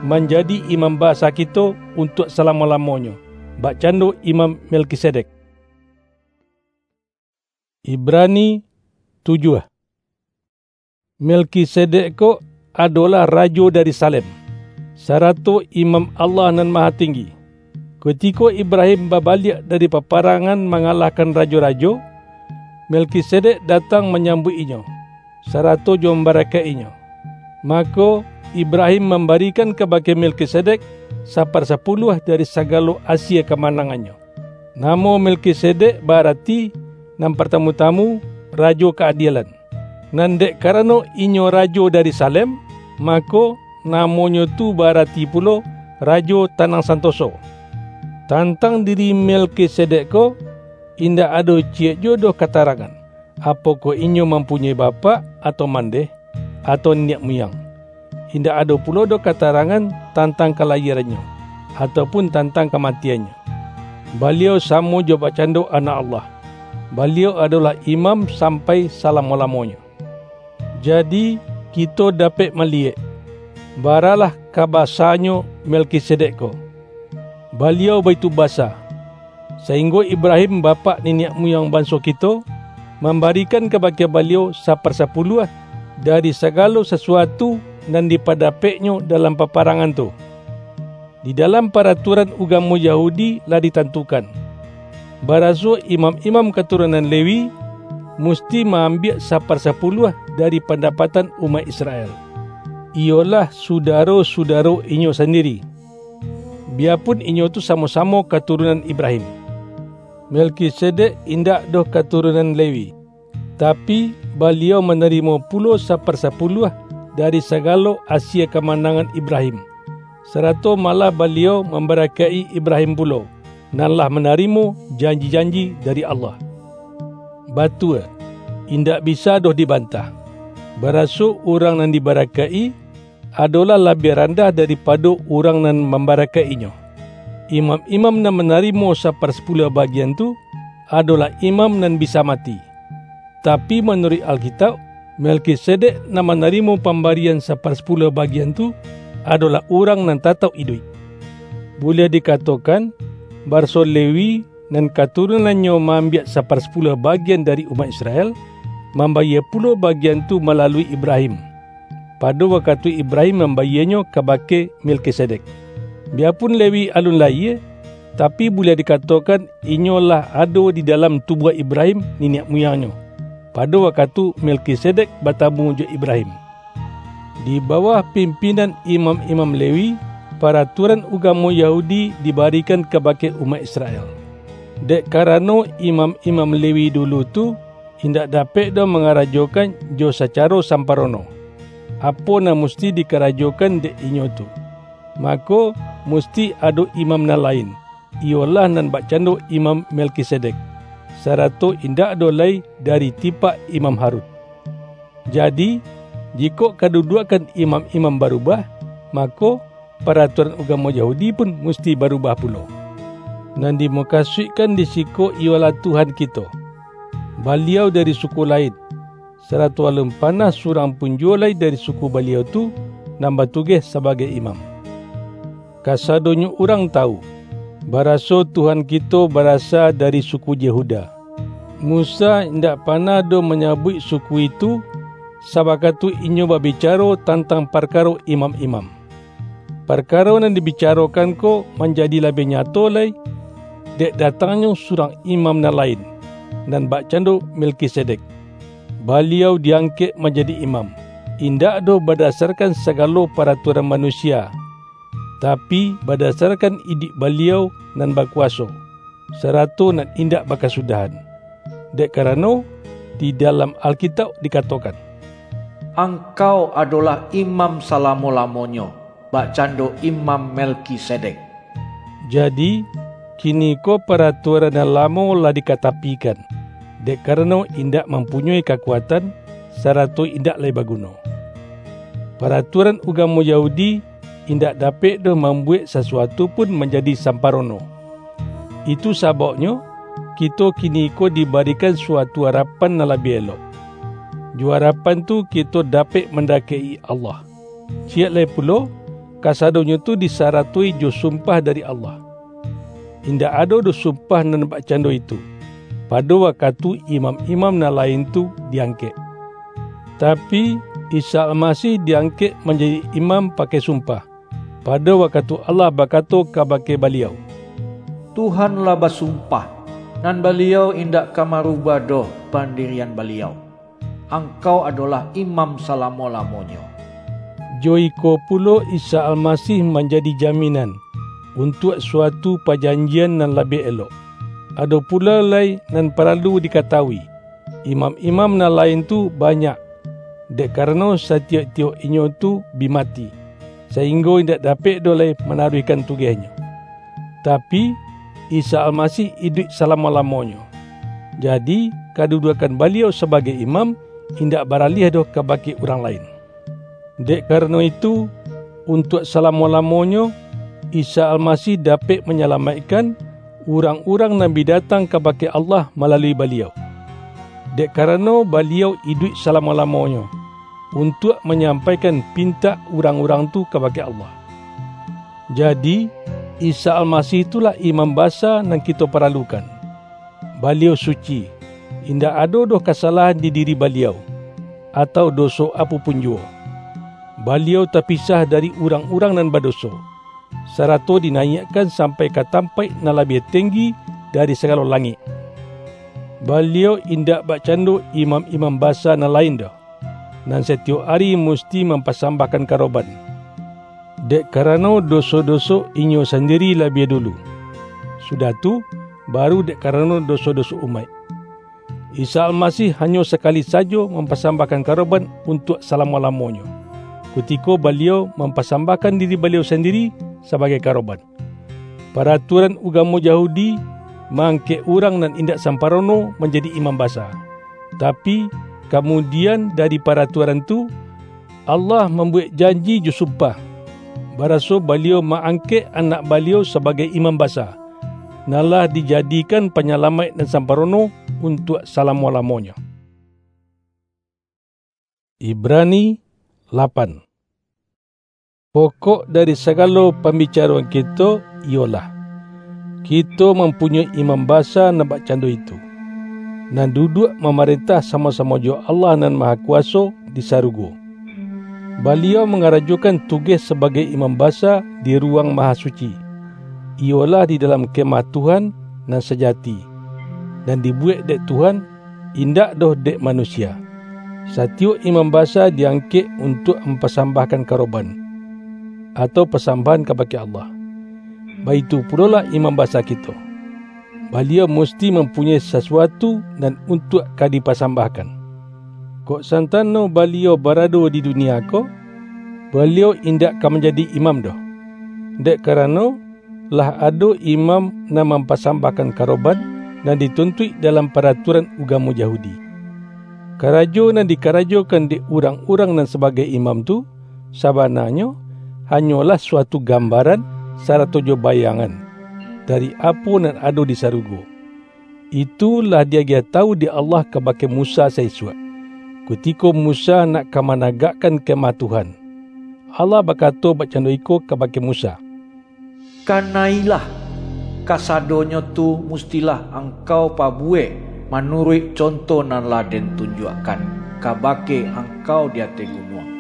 manjadi imam basa kito untuak salamo-lamonyo, bakcando Imam Melkisedek. Ibrani tujuah. Melkisedek ko adolah rajo dari Salem, sarato imam Allah Nan Mahatinggi. Kutiko Ibrahim babaliak dari paparangan mangalahkan rajo-rajo, Melkisedek datang manyambuik inyo, sarato jo mambarakaik inyo. Mako, Ibrahim mambarikan kabake Melkisedek saparsapuluah dari sagalo asie kamanangannyo. Namo Melkisedek barati, nan partamu-tamu, Rajo Kaadilan. Nan dek karano inyo rajo dari Salem, mako, namonyo tu barati pulo Rajo Tanang Santoso. Tantang diri Melkisedek ko, indak ado ciyek juwo doh katarangan, apokoh inyo mampunyoi bapak atau mandeh, atau niniak muyang. Indak ado pulo doh katarangan tantang kalayierannyo, atau pun tantang kamatiannyo. Baliau samo jo bakcando Anak Allah. Baliau adolah imam sampai salamo-lamonyo. Jadi, kito dapek maliyek, baralah ka basanyo Melkisedek ko. Baliau baitu basa, sainggo Ibrahim, bapak niniak muyang banso kito, mambarikan kabake Baliau saparsapuluah dari sagalo sasuatu nan dipadapeknyo dalam paparangan tu. Di dalam paratuaran ugamo Yahudi lah ditantukan, baraso imam-imam katurunan Lewi musti ma-ambiak saparsapuluah dari pandapatan umaik Israel, iyolah sudaro-sudaro inyo sandiri, biyapun inyo tu samo-samo katurunan Ibrahim. Melkisedek indak doh katurunan Lewi, tapi, baliau manarimo pulo saparsapuluah dari sagalo asie kamanangan Ibrahim, sarato malah baliau mambarakaik-i Ibrahim pulo, nan lah manarimo janji-janji dari Allah. Batua, indak bisa doh dibantah, baraso urang nan dibarakaik-i adolah labiah randah daripado urang nan mambarakaik-inyo. Imam-imam nan manarimo saparsapuluah bagian tu, adolah imam nan bisa mati. Tapi, manuruik Alkitauk, Melkisedek nan manarimo pambarian saparsapuluah bagian tu, adolah urang nan tatauk iduik. Buliah dikatokan, baraso Lewi, nan katurunannyo maambiak saparsapuluah bagian dari umaik Israel, mambayie pulo bagian tu malalui Ibrahim, pado wakatu Ibrahim mambayienyo kabake Melkisedek. Biyapun Lewi alun layie, tapi, buliah dikatokan inyo lah ado di dalam tubuah Ibrahim, niniak muyangnyo, pado wakatu Melkisedek batamu jo Ibrahim. Di bawah pimpinan imam-imam Lewi, paratuaran ugamo Yahudi dibarikan kabake umaik Israel. Dek karano imam-imam Lewi dulu tu indak dapek doh mangarajokan jo sacaro samparono, apo nan musti dikarajokan dek inyo tu, mako, musti ado imam nan lain, iyolah nan bakcando Imam Melkisedek, sarato indak ado lai dari tipak Imam Harun. Jadi, jikok kaduduakkan imam-imam barubah, mako, paratuaran ugamo Yahudi pun musti barubah pulo. Nan dimukasuikkan di siko iyolah Tuhan kito. Baliau dari suku lain, sarato alun panah surang pun juwo lai dari suku Baliau tu nan batugeh sabagai imam. Kasadonyo urang tawu, baraso Tuhan kito barasa dari suku Yehuda. Musa indak panah doh manyabuik suku itu, sabakatu inyo babicaro tantang parkaro imam-imam. Parkaro nan dibicarokan ko manjadi labiah nyato lai, dek datangnyo surang imam nan lain, nan bakcando Melkisedek. Baliau diangkek manjadi imam, indak doh badasarkan sagalo paratuaran manusia, tapi, badasarkan iduik Baliau nan bakuwaso, sarato nan indak bakasudahan. Dek karano, di dalam Alkitauk dikatokan, "Angkau adolah imam salamo-lamonyo, bakcando Imam Melkisedek." Jadi, kiniko paratuaran nan lamo lah dikatapikan, dek karano indak mampunyoi kakuatan, sarato indak lai baguno. Paratuaran ugamo Yahudi indak dapek doh mambuwek sasuatu pun manjadi samparono. Itu sababnyo, kito kiniko dibarikan suatu arapan nan labiah elok. Jo arapan tu kito dapek mandakek-i Allah. Ciek lai pulo, kasadonyo tu disaratoi jo sumpah dari Allah. Indak ado doh sumpah nan bakcando itu, pado wakatu imam-imam nan lain tu diangkek. Tapi, Isa Almasih diangkek manjadi imam pakai sumpah, pado wakatu Allah bakato kabake Baliau, "Tuhan lah basumpah, nan Baliau indak ka marubah doh pandirian Baliau. Angkau adolah imam salamo-lamonyo." Jo iko pulo Isa Almasih manjadi jaminan untuak suatu pajanjian nan labiah elok. Ado pulo lai nan paralu dikatawui, imam-imam nan lain tu banyak, dek karano satiyok-tiyok inyo tu bi mati, sainggo indak dapek doh lai manaruihkan tugehnyo. Tapi, Isa Almasih iduik salamo-lamonyo. Jadi, kaduduakkan Baliau sabagai imam indak baraliah doh kabake urang lain. Dek karano itu, untuak salamo-lamonyo, Isa Almasih dapek manyalamaikkan urang-urang nan bi datang kabake Allah malalui Baliau. Dek karano Baliau iduik salamo-lamonyo, untuak manyampaikan pintak urang-urang tu kabake Allah. Jadi, Isa Almasih itulah Imam Basa nan kito paralukan. Baliau suci, indak ado doh kasalahan di diri Baliau, atau doso apo pun juwo. Baliau tapisah dari urang-urang nan badoso, sarato dinaiakkan sampai ka tampaik nan labiah tenggi dari sagalo langik. Baliau indak bakcando imam-imam basa nan lain doh, nan satiyok ari musti mampasambahkan karoban, dek karano doso-doso inyo sandiri labiah dulu, sudah tu, baru dek karano doso-doso umaik. Isa Almasih hanyo sakali sajo mampasambahkan karoban untuak salamo-lamonyo, kutiko Baliau mampasambahkan diri Baliau sandiri sabagai karoban. Paratuaran ugamo Yahudi ma-angkek urang nan indak samparono manjadi imam basa. Tapi, kamudian dari paratuaran tu, Allah mambuwek janji jo sumpah, baraso Baliau ma-angkek Anak Baliau sabagai Imam Basa, nan lah dijadikan Panyalamaik nan samparono untuak salamo-lamonyo. Ibrani lapan. Pokok dari sagalo pambicaroan kito iyolah, kito mampunyoi Imam Basa nan bakcando itu, nan duduak mamarentah samo-samo jo Allah Nan Mahakuwaso di sarugo. Baliau mangarajokan tugeh sabagai Imam Basa di Ruwang Mahasuci, iyolah di dalam Kemah Tuhan nan sajati, nan dibuwek dek Tuhan, indak doh dek manusia. Satiyok imam basa di-angkek untuak mampasambahkan karoban, atau pasambahan kabake Allah. Baitu pulolah imam basa kito. Baliau musti mampunyoi sasuatu nan untuak ka dipasambahkan. Kok santano Baliau barado di dunia ko, Baliau indak ka manjadi imam doh, dek karano, lah ado imam nan mampasambahkan karoban nan dituntuik dalam paratuaran ugamo Yahudi. Karajo nan dikarajokan dek urang-urang nan sabagai imam tu, sabananyo, hanyolah suatu gambaran sarato jo bayangan dari apo nan ado di sarugo. Itu lah diagiah tawu dek Allah kabake Musa saisuak, kutiko Musa nak ka managakkan Kemah Tuhan. Allah bakato bakcando iko kabake Musa, "Kanailah, kasadonyo tu mustilah angkau pabuwek manuruik conto nan lah Den tunjuakkan kabake angkau di ateh gunuang."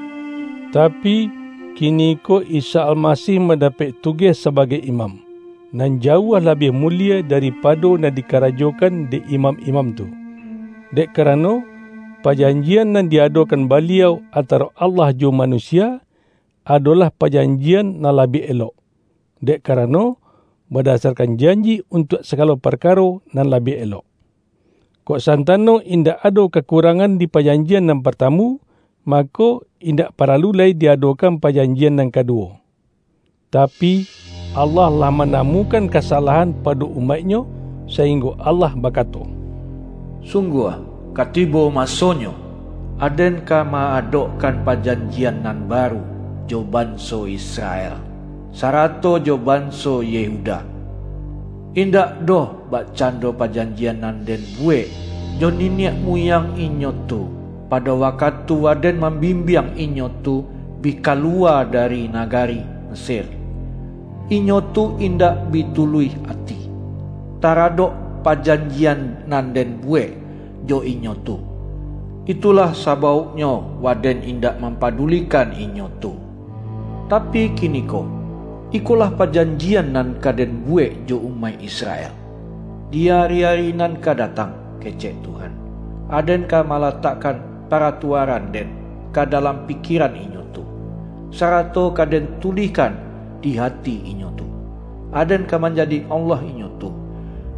Tapi, kiniko Isa Almasih mandapek tugeh sabagai imam, nan jauah labiah mulie daripado nan dikarajokan dek imam-imam tu. Dek karano, pajanjian nan diadokan Baliau antaro Allah jo manusia, adolah pajanjian nan labiah elok, dek karano, badasarkan janji untuak sagalo parkaro nan labiah elok. Kok santano indak ado kakurangan di pajanjian nan partamu, mako, indak paralu lai diadokan pajanjian nan kaduwo. Tapi, Allah lah manamukan kasalahan pado umaik-Nyo, sainggo Allah bakato, "Sungguah, ka tibo masonyo, Aden ka ma-adokkan pajanjian nan baru jo banso Israel, sarato jo banso Yehuda. Indak doh bakcando pajanjian nan Den buwek jo niniak muyang inyo tu, pado wakatu Aden mambimbiang inyo tu bi kaluwa dari nagari Mesir. Inyo tu indak bi tuluih ati taradok pajanjian nan Den buwek jo inyo tu. Itulah sabauknyo Waden indak mampadulikan inyo tu. Tapi kiniko, ikolah pajanjian nan ka Den buwek jo umaik Israel. Di ari-ari nan ka datang, kecek Tuhan, Aden ka malatakkan paratuaran-Den ka dalam pikiran inyo tu, sarato ka Den tulihkan di hati inyo tu. Aden ka manjadi Allah inyo tu,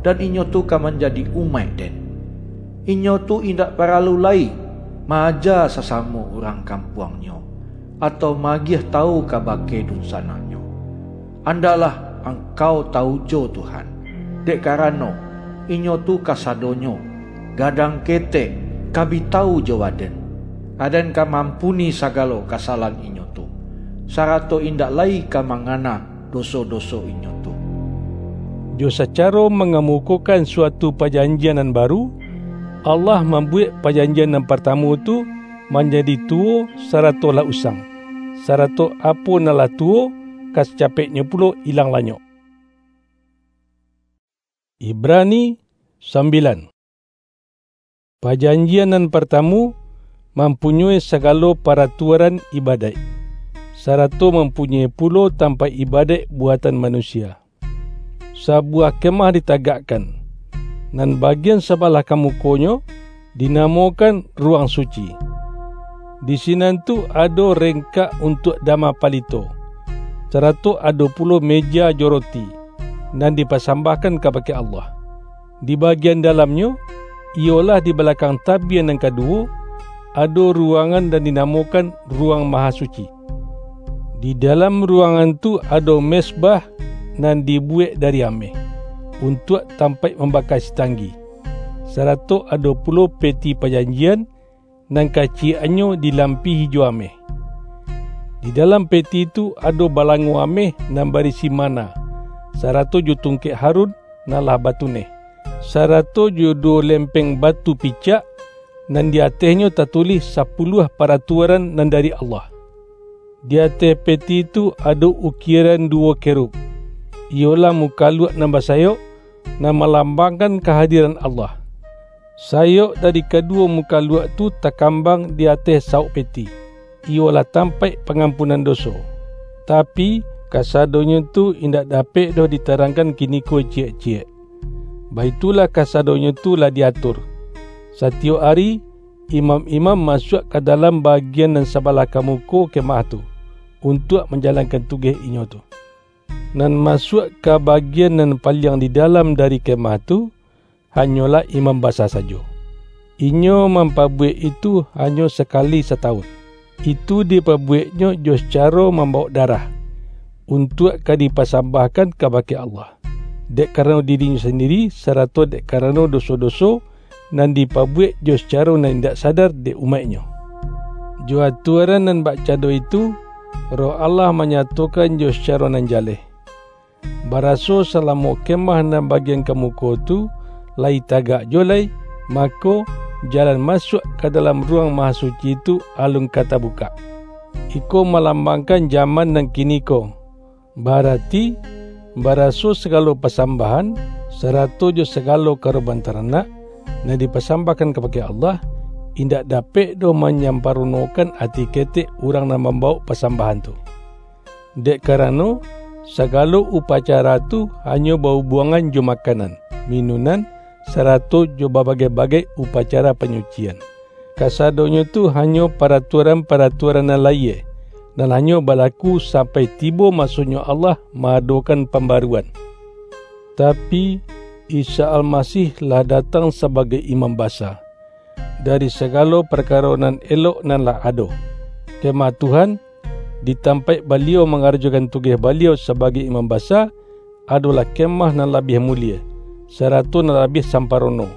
dan inyo tu ka manjadi umaik-Den. Inyo tu indak paralu lai ma-aja sasamo urang kampuangnyo, atau maagiah tawu kabake dunsanangnyo. Andaklah angkau tawu jo Tuhan, dek karano, inyo tu kasadonyo, gadang ketek, ka bi tawu jo Aden. Aden ka maampuni sagalo kasalahan inyo tu, sarato indak lai ka mangana doso-doso inyo tu." Jo sacaro mangamukokan suatu pajanjian nan baru, Allah mambuwek pajanjian nan partamu tu manjadi tuwo sarato lah usang, sarato apo nan lah tuwo ka sacapeknyo pulo ilang lanyok. Ibrani sambilan. Pajanjian nan partamu mampunyoi sagalo paratuaran ibadaik, sarato mampunyoi pulo tampaik ibadaik buatan manusia. Sabuwah kemah ditagakkan, nan bagian sabalah ka mukonyo dinamokan Ruwang Suci. Di sinan tu ado rengkak untuak dama palito, sarato ado pulo meja jo roti, nan dipasambahkan kabake Allah. Di bagian dalamnyo, iyolah di balakang tabia nan kaduwo, ado ruwangan nan dinamokan Ruwang Mahasuci. Di dalam ruwangan tu ado mezbah nan dibuwek dari ameh, untuak tampaik mambaka sitanggi, sarato ado pulo peti pajanjian nan kaciyekannyo dilampihi jo ameh. Di dalam peti tu ado balango ameh nan barisi mana, sarato jo tungkek Harun nan lah batuneh, sarato jo duwo lempeng batu picak, nan di atehnyo tatulih sapuluah paratuaran nan dari Allah. Di ateh peti tu ado ukieran duwo kerub, iyolah mukaluak nan basayok, nan malambangkan kahadiran Allah. Sayok dari kaduwo mukaluak tu takambang di ateh sawok peti, iyolah tampaik pangampunan doso. Tapi, kasadonyo tu indak dapek doh ditarangkan kiniko ciyek-ciyek. Baitulah kasadonyo tu lah diatur. Satiyok ari, imam-imam masuak ka dalam bagian nan sabalah ka muko kemah tu, untuak manjalankan tugeh inyo tu. Nan masuak ka bagian nan paliang di dalam dari kemah tu, hanyolah imam basa sajo. Inyo mampabuwek itu hanyo sakali satawun. Itu dipabuweknyo jo sacaro mambawok darah, untuak ka dipasambahkan kabake Allah, dek karano dirinyo sandiri, sarato dek karano doso-doso nan dipabuwek jo sacaro nan indak sadar dek umaik-Nyo. Jo atuaran nan bakcando itu, Roh Allah manyatokan jo sacaro nan jaleh, baraso salamo kemah nan bagian ka muko tu layi tagak juwo lai, mako, jalan masuak ka dalam Ruwang Mahasuci tu alun ka tabukak. Iko malambangkan jaman nan kiniko, barati, baraso sagalo pasambahan, sarato jo sagalo karoban taranak, nan dipasambahkan kabake Allah, indak dapek doh manyamparonokan ati ketek urang nan mambawok pasambahan tu. Dek karano, sagalo upacara tu hanyo bahubuangan jo makanan, minunan, sarato jo babagai-bagai upacara panyucian. Kasadonyo tu hanyo paratuaran-paratuaran nan layie, nan hanyo balaku sampai tibo masonyo Allah ma-adokan pambaruan. Tapi, Isa Almasih lah datang sabagai Imam Basa, dari sagalo parkaro nan elok nan lah ado. Kemah Tuhan, di tampaik Baliau mangarajokan tugeh Baliau sabagai Imam Basa, adolah kemah nan labiah mulie, sarato nan labiah samparono.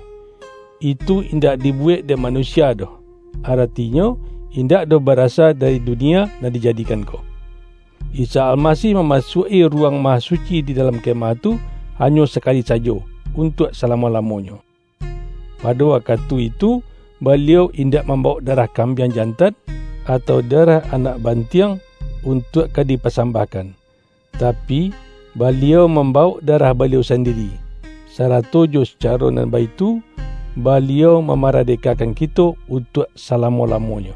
Itu indak dibuwek dek manusia doh, aratinyo, indak doh barasa dari dunia nan dijadikan ko. Isa Almasih mamasuak-i Ruwang Mahasuci di dalam kemah tu hanyo sakali sajo, untuak salamo-lamonyo. Pado wakatu itu, Baliau indak mambawok darah kambiang jantan, atau darah anak bantiang untuak ka dipasambahkan. Tapi, Baliau mambawok darah Baliau sandiri, sarato jo sacaro nan baitu, Baliau mamaradekakan kito untuak salamo-lamonyo.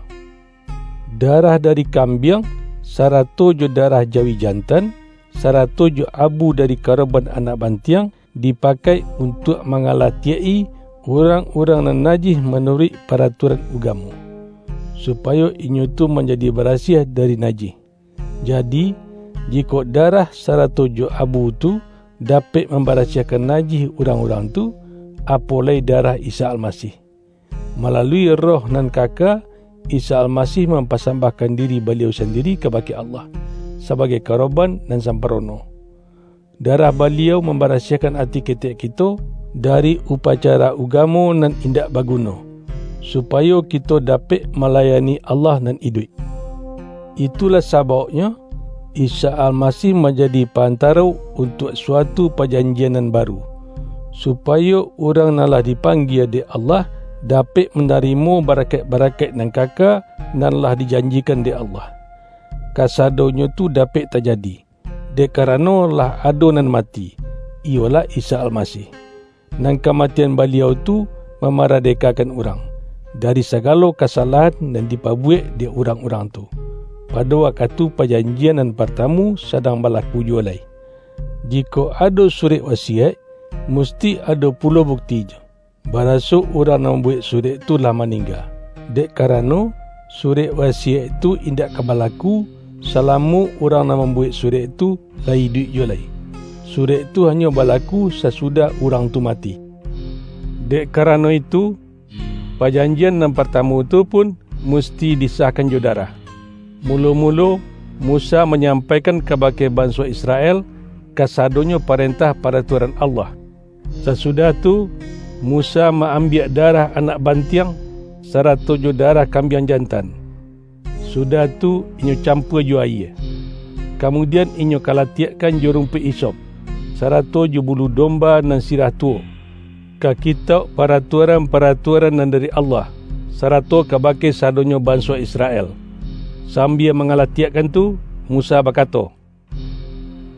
Darah dari kambiang, sarato jo darah jawi jantan, sarato jo abu dari karoban anak bantiang, dipakai untuak mangalatiak-i urang-urang nan najih manuruik paratuaran ugamo, supayo inyo tu manjadi barasiah dari najih. Jadi, jikok darah sarato jo abu tu dapek mambarasiahkan najih urang-urang tu, apo lai darah Isa Almasih! Malalui Roh nan kaka, Isa Almasih mampasambahkan diri Baliau sandiri kabake Allah, sabagai karoban nan samparono. Darah Baliau mambarasiahkan ati ketek kito dari upacara ugamo nan indak baguno, supayo kito dapek malayani Allah nan iduik. Itulah sabauknyo, Isa Almasih manjadi parantaro untuak suatu pajanjian nan baru, supayo urang nan lah dipanggia dek Allah dapek manarimo barakaik-barakaik nan kaka nan lah dijanjikan dek Allah. Kasadonyo tu dapek tajadi, dek karano lah ado nan mati, iyolah Isa Almasih. Nan kamatian Baliau tu mamaradekakan urang dari sagalo kasalahan nan dipabuwek dek urang-urang tu, pado wakatu pajanjian nan partamu sadang balaku juwo lai. Jikok ado surek wasiyaik, musti ado pulo buktinyo, baraso urang nan mambuwek surek tu lah maningga. Dek karano, surek wasiyaik tu indak ka balaku, salamo urang nan mambuwek surek tu lai iduik juwo lai. Surek tu hanyo balaku sasudah urang tu mati. Dek karano itu, pajanjian nan partamu tu pun musti disahkan jo darah. Mulo-mulo, Musa manyampaikan kabake banso Israel kasadonyo parentah paratuaran Allah. Sasudah tu, Musa ma-ambiak darah anak bantiang, sarato jo darah kambiang jantan. Sudah tu, inyo campua jo ayie. Kamudian, inyo kalatiakkan jo rumpuik hisop, sarato jo bulu domba nan sirah tuwo, ka kitauk paratuaran-paratuaran nan dari Allah, sarato kabake sadonyo banso Israel. Sambia mangalatiakkan tu, Musa bakato,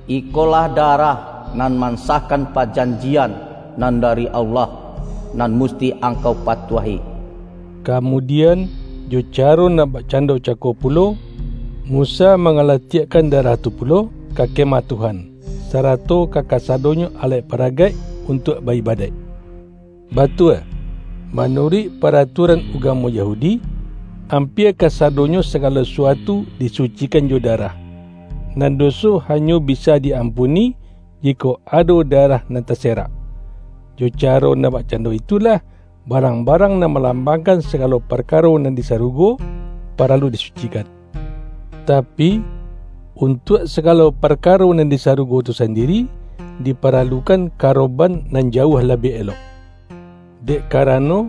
"Ikolah darah nan mansahkan pajanjian nan dari Allah, nan musti angkau patuahi." Kamudian, jo caro nan bakcando cako pulo, Musa mangalatiakkan darah tu pulo ka Kemah Tuhan, sarato ka kasadonyo alek paragaik untuak ba-ibadaik. Batua, manuruik paratuaran ugamo Yahudi, ampia kasadonyo sagalo suatu disucikan jo darah. Nan doso hanyo bisa di-ampuni, jikok ado darah nan taserak. Jo caro nan bakcando itulah, barang-barang nan malambangkan sagalo parkaro nan di sarugo, paralu disucikan. Tapi, untuak sagalo parkaro nan di sarugo tu sandiri, diparalukan karoban nan jauah labiah elok. Dek karano,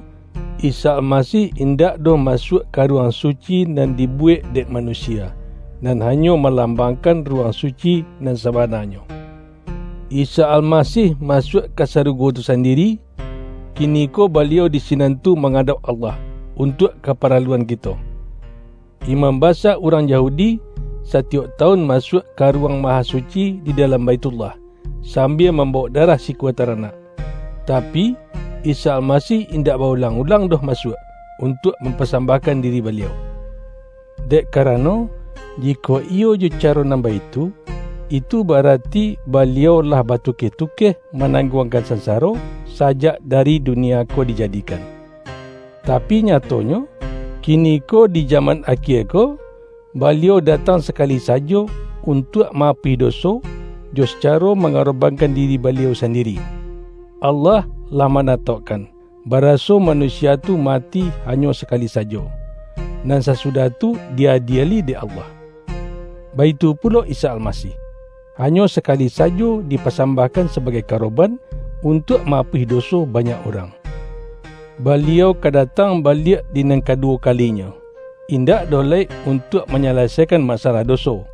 Isa Almasih indak doh masuak ka ruang suci nan dibuwek dek manusia, nan hanyo malambangkan ruang suci nan sabananyo. Isa Almasih masuak ka sarugo tu sandiri, kiniko Baliau di sinan tu mangadok Allah, untuak kaparaluan kito. Imam basa urang Yahudi satiyok tawun masuak ka Ruang Mahasuci di dalam Baithullah, sambia mambawok darah sikua taranak. Tapi, Isa Almasih indak baulang-ulang doh masuak, untuak mampasambahkan diri Baliau. Dek karano, jikok iyo jo caro nan baitu, itu barati Baliau lah batukeh-tukeh manangguangkan sansaro sajak dari dunia ko dijadikan. Tapi nyatonyo, kiniko di jaman akhia ko, Baliau datang sakali sajo untuak maapuih doso, jo sacaro mangarobankan diri Baliau sandiri. Allah lah manataukkan, baraso manusia tu mati hanyo sakali sajo, nan sasudah tu diadieli dek Allah. Baitu pulo Isa Almasih, hanyo sakali sajo dipasambahkan sabagai karoban untuak maapuih doso banyak urang. Baliau ka datang baliak di nan kaduwo kalinyo, indak doh lai untuak manyalasaikan masalah doso,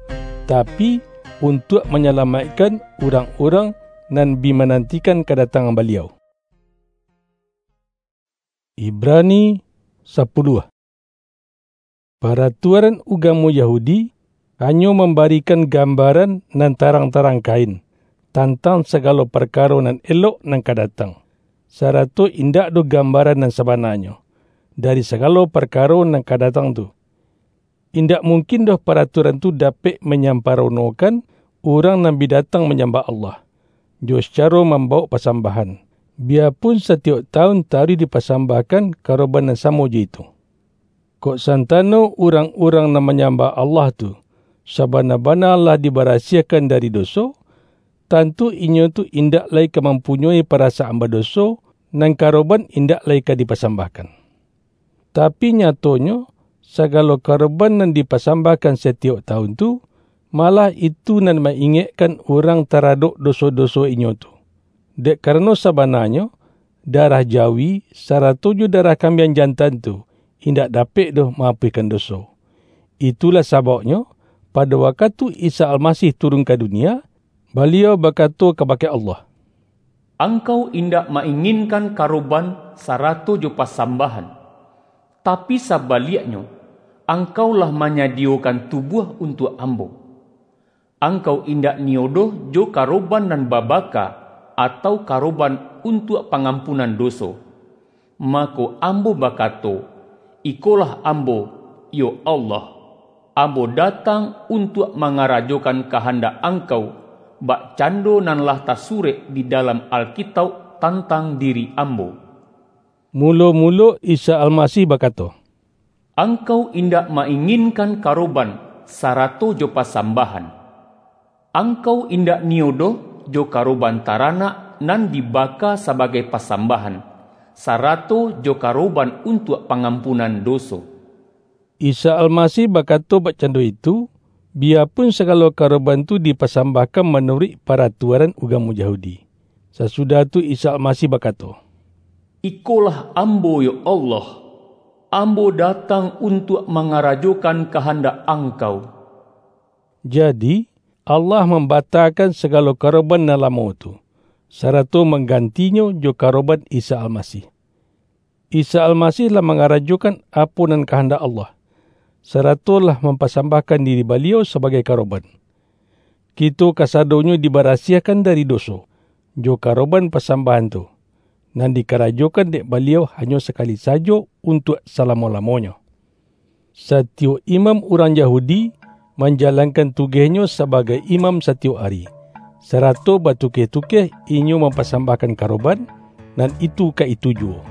tapi, untuak manyalamaikkan urang-urang nan bi manantikan kadatangan Baliau. Ibrani sapuluah. Paratuaran ugamo Yahudi hanyo mambarikan gambaran nan tarang-tarang kain tantang sagalo parkaro nan elok nan ka datang, sarato indak doh gambaran nan sabananyo dari sagalo parkaro nan ka datang tu. Indak mungkin doh paratuaran tu dapek manyamparonokan urang nan bi datang manyambah Allah, jo sacaro mambawok pasambahan, biyapun satiyok tawun taruih dipasambahkan karoban nan samo jo itu. Kok santano urang-urang nan manyambah Allah tu sabana-bana lah dibarasiahkan dari doso, tantu inyo tu indak lai ka mampunyoi parasaan badoso, nan karoban indak lai ka dipasambahkan. Tapi nyatonyo, sagalo karoban nan dipasambahkan satiyok tawun tu, malah itu nan ma-ingekkan urang taradok doso-doso inyo tu. Dek karano sabananyo, darah jawi sarato jo darah kambiang jantan tu indak dapek doh maapuihkan doso. Itulah sababnyo, pado wakatu Isa Almasih turun ka dunia, Baliau bakato kabake Allah, "Angkau indak ma-inginkan karoban sarato jo pasambahan, tapi sabaliaknyo, Angkau lah manyadiyokan tubuah untuak Ambo. Angkau indak niyo doh jo karoban nan babaka atau karoban untuak pangampunan doso. Mako ambo bakato, "Ikolah ambo, yo Allah, ambo datang untuak mangarajokan kahandak Angkau, bakcando nan lah tasurek di dalam Alkitauk tantang diri ambo." Mulo-mulo Isa Almasih bakato, "Angkau indak ma-inginkan karoban sarato jo pasambahan. Angkau indak niyo doh jo karoban taranak nan dibaka sabagai pasambahan, sarato jo karoban untuak pangampunan doso." Isa Almasih bakato bakcando itu, biyapun sagalo karoban tu dipasambahkan manuruik paratuaran ugamo Yahudi. Sasudah tu Isa Almasih bakato, "Ikolah ambo, yo Allah, ambo datang untuak mangarajokan kahandak Angkau." Jadi, Allah mambatakan sagalo karoban nan lamo tu, sarato manggantinyo jo karoban Isa Almasih. Isa Almasih lah mangarajokan apo nan kahandak Allah, sarato lah mampasambahkan diri Baliau sabagai karoban. Kito kasadonyo dibarasiahkan dari doso, jo karoban pasambahan tu, nan dikarajokan dek Baliau hanyo sakali sajo untuak salamo-lamonyo. Satiyok imam urang Yahudi manjalankan tugehnyo sabagai imam satiyok ari, sarato batukeh-tukeh inyo mampasambahkan karoban, nan itu ka itu juwo.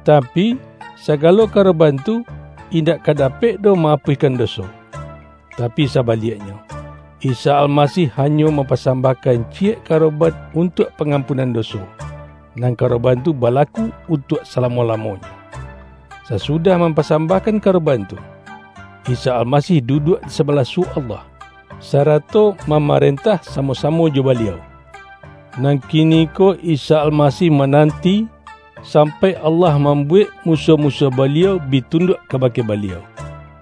Tapi, sagalo karoban tu indak ka dapek doh maapuihkan doso. Tapi sabaliaknyo, Isa Almasih hanyo mampasambahkan ciyek karoban untuak pangampunan doso, nan karoban tu balaku untuak salamo-lamonyo. Sasudah mampasambahkan karoban tu, Isa Almasih duduak di sabalah suok Allah, sarato mamarentah samo-samo jo Baliau. Nan kiniko Isa Almasih mananti, sampai Allah mambuwek musuah-musuah Baliau bi tunduak kabake Baliau.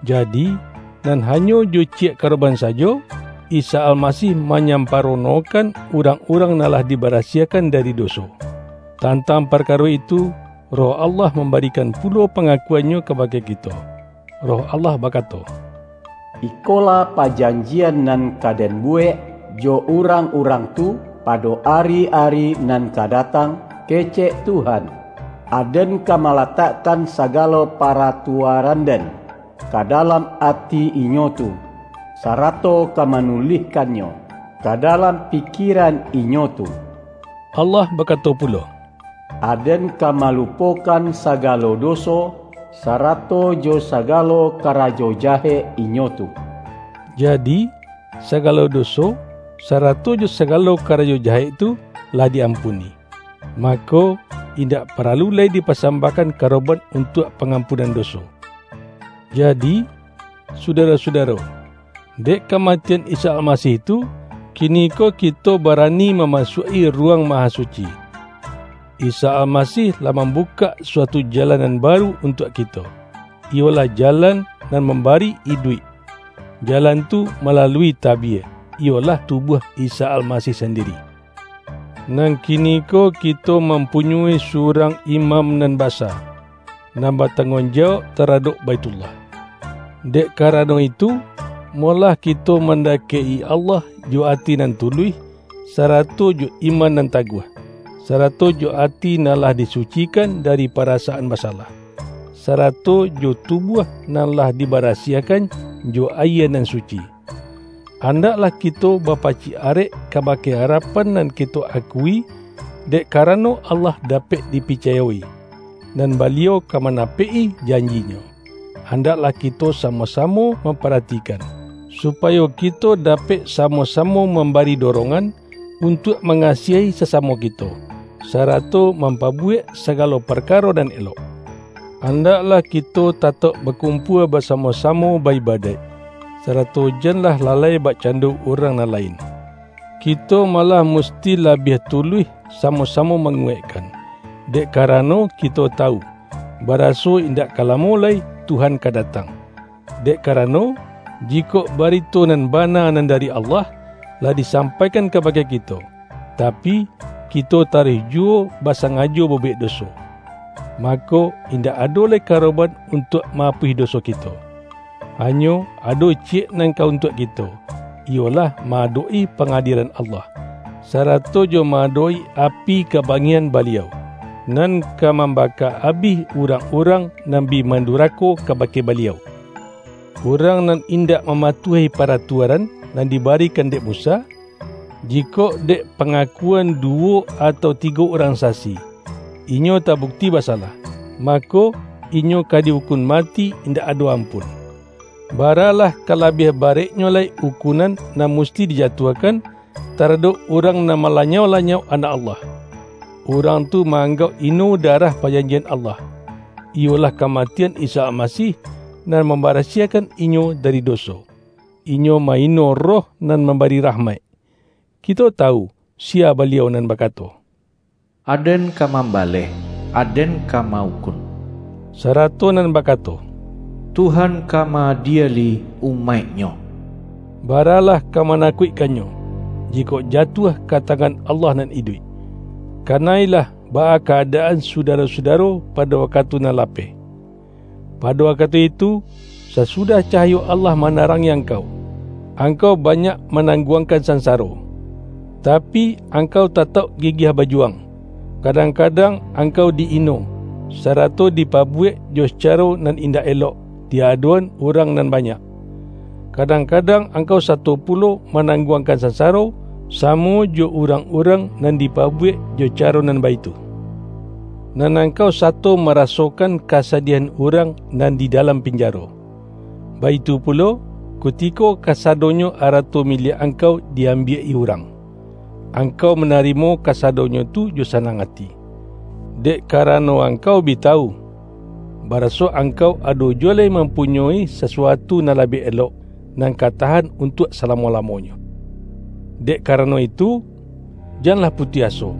Jadi, nan hanyo jo ciyek karoban sajo, Isa Almasih manyamparonokan urang-urang nan lah dibarasiahkan dari doso. Tantang parkaro itu, Roh Allah mambarikan pulo pangakuan-Nyo kabake kito. Roh Allah bakato, "Ikolah pajanjian nan ka Den buwek jo urang-urang tu pado ari-ari nan ka datang, kecek Tuhan, Aden ka malatakkan sagalo paratuaran-Den ka dalam ati inyo tu, sarato ka manulihkannyo ka dalam pikiran inyo tu." Allah bakato pulo, "Aden ka malupokan sagalo doso, sarato jo sagalo karajo jahek inyo tu." Jadi, sagalo doso, sarato jo sagalo karajo jahek tu lah di-ampuni. Mako, indak paralu lai dipasambahkan karoban untuak pangampunan doso. Jadi, sudaro-sudaro, dek kamatian Isa Almasih tu, kiniko kito barani mamasuak-i Ruwang Mahasuci. Isa Almasih lah mambukak suatu jalan nan baru untuak kito, iyolah jalan nan mambari iduik. Jalan tu malalui tabie, iyolah tubuah Isa Almasih sandiri. Nan kiniko kito mampunyoi surang imam nan basa, nan batangguang jawab taradok Baitullah. Dek karano itu, molah kito mandakek-i Allah jo ati nan tuluih, sarato jo iman nan taguah, sarato jo ati nan lah disucikan dari parasaan basalah, sarato jo tubuah nan lah dibarasiahkan jo ayie nan suci. Andaklah kito bapacik arek kabake arapan nan kito akui, dek karano Allah dapek dipicayo-i, nan Baliau ka manapek-i janji-Nyo. Andaklah kito samo-samo mamparatikan, supayo kito dapek samo-samo mambari dorongan untuak mangasiahi sasamo kito, sarato mampabuwek sagalo parkaro nan elok. Andaklah kito tatauk bakumpua basamo-samo ba-ibadaik, sarato janlah lalai bakcando urang nan lain. Kito malah musti labiah tuluih samo-samo manguwaikkan, dek karano kito tawu, baraso indak ka lamo lai Tuhan ka datang. Dek karano, jikok barito nan bana nan dari Allah lah disampaikan kabake kito, tapi, kito taruih juwo basangajo babuwek doso, mako, indak ado lai karoban untuak maapuih doso kito. Hanyo ado ciyek nan ka untuak kito, iyolah ma-adok-i pangadielan Allah, sarato jo ma-adok-i api kabangih-an Baliau. nan ka mambaka abih urang-urang nan bi mandurako kabake Baliau. Urang nan indak mamatuahi paratuaran nan dibarikan dek Musa, jikok dek pangakuan duwo atau tigo urang sasi, inyo tabukti basalah, mako, inyo ka diukun mati indak ado ampun. Baralah ka labiah bareknyo lai ukunan nan musti dijatuahkan taradok urang nan malanyau-lanyau Anak Allah. Urang tu ma-anggauk ino darah pajanjian Allah, iyolah kamatian Isa Almasih, nan mambarasiahkan inyo dari doso. Inyo ma-ino Roh nan mambari rahmaik. Kito tawu, sia Baliau nan bakato, "Aden ka mambaleh, Aden ka maukun," sarato nan bakato, "Tuhan ka ma-adieli umaik-Nyo." Baralah ka manakuikkannyo, jikok jatuah ka tangan Allah nan iduik. Kanailah baa kaadaan sudaro-sudaro pado wakatu nan lapeh. Pado wakatu itu, sasudah cahayo Allah manarangi angkau, angkau banyak manangguangkan sansaro. Tapi, angkau tatauk gigiah bajuwang. Kadang-kadang angkau di-ino, sarato dipabuwek jo sacaro nan indak elok di adok-an urang nan banyak. Kadang-kadang angkau sato pulo manangguangkan sansaro, samo jo urang-urang nan dipabuwek jo caro nan baitu. Nan angkau sato marasokan kasadiahan urang nan di dalam pinjaro. Baitu pulo, kutiko kasadonyo arato miliak angkau di-ambiak-i urang, angkau manarimo kasadonyo tu jo sanang ati. Dek karano angkau bi tawu, baraso angkau ado juwo lai mampunyoi sasuatu nan labiah elok, nan ka tahan untuak salamo-lamonyo. Dek karano itu, janlah putuih aso,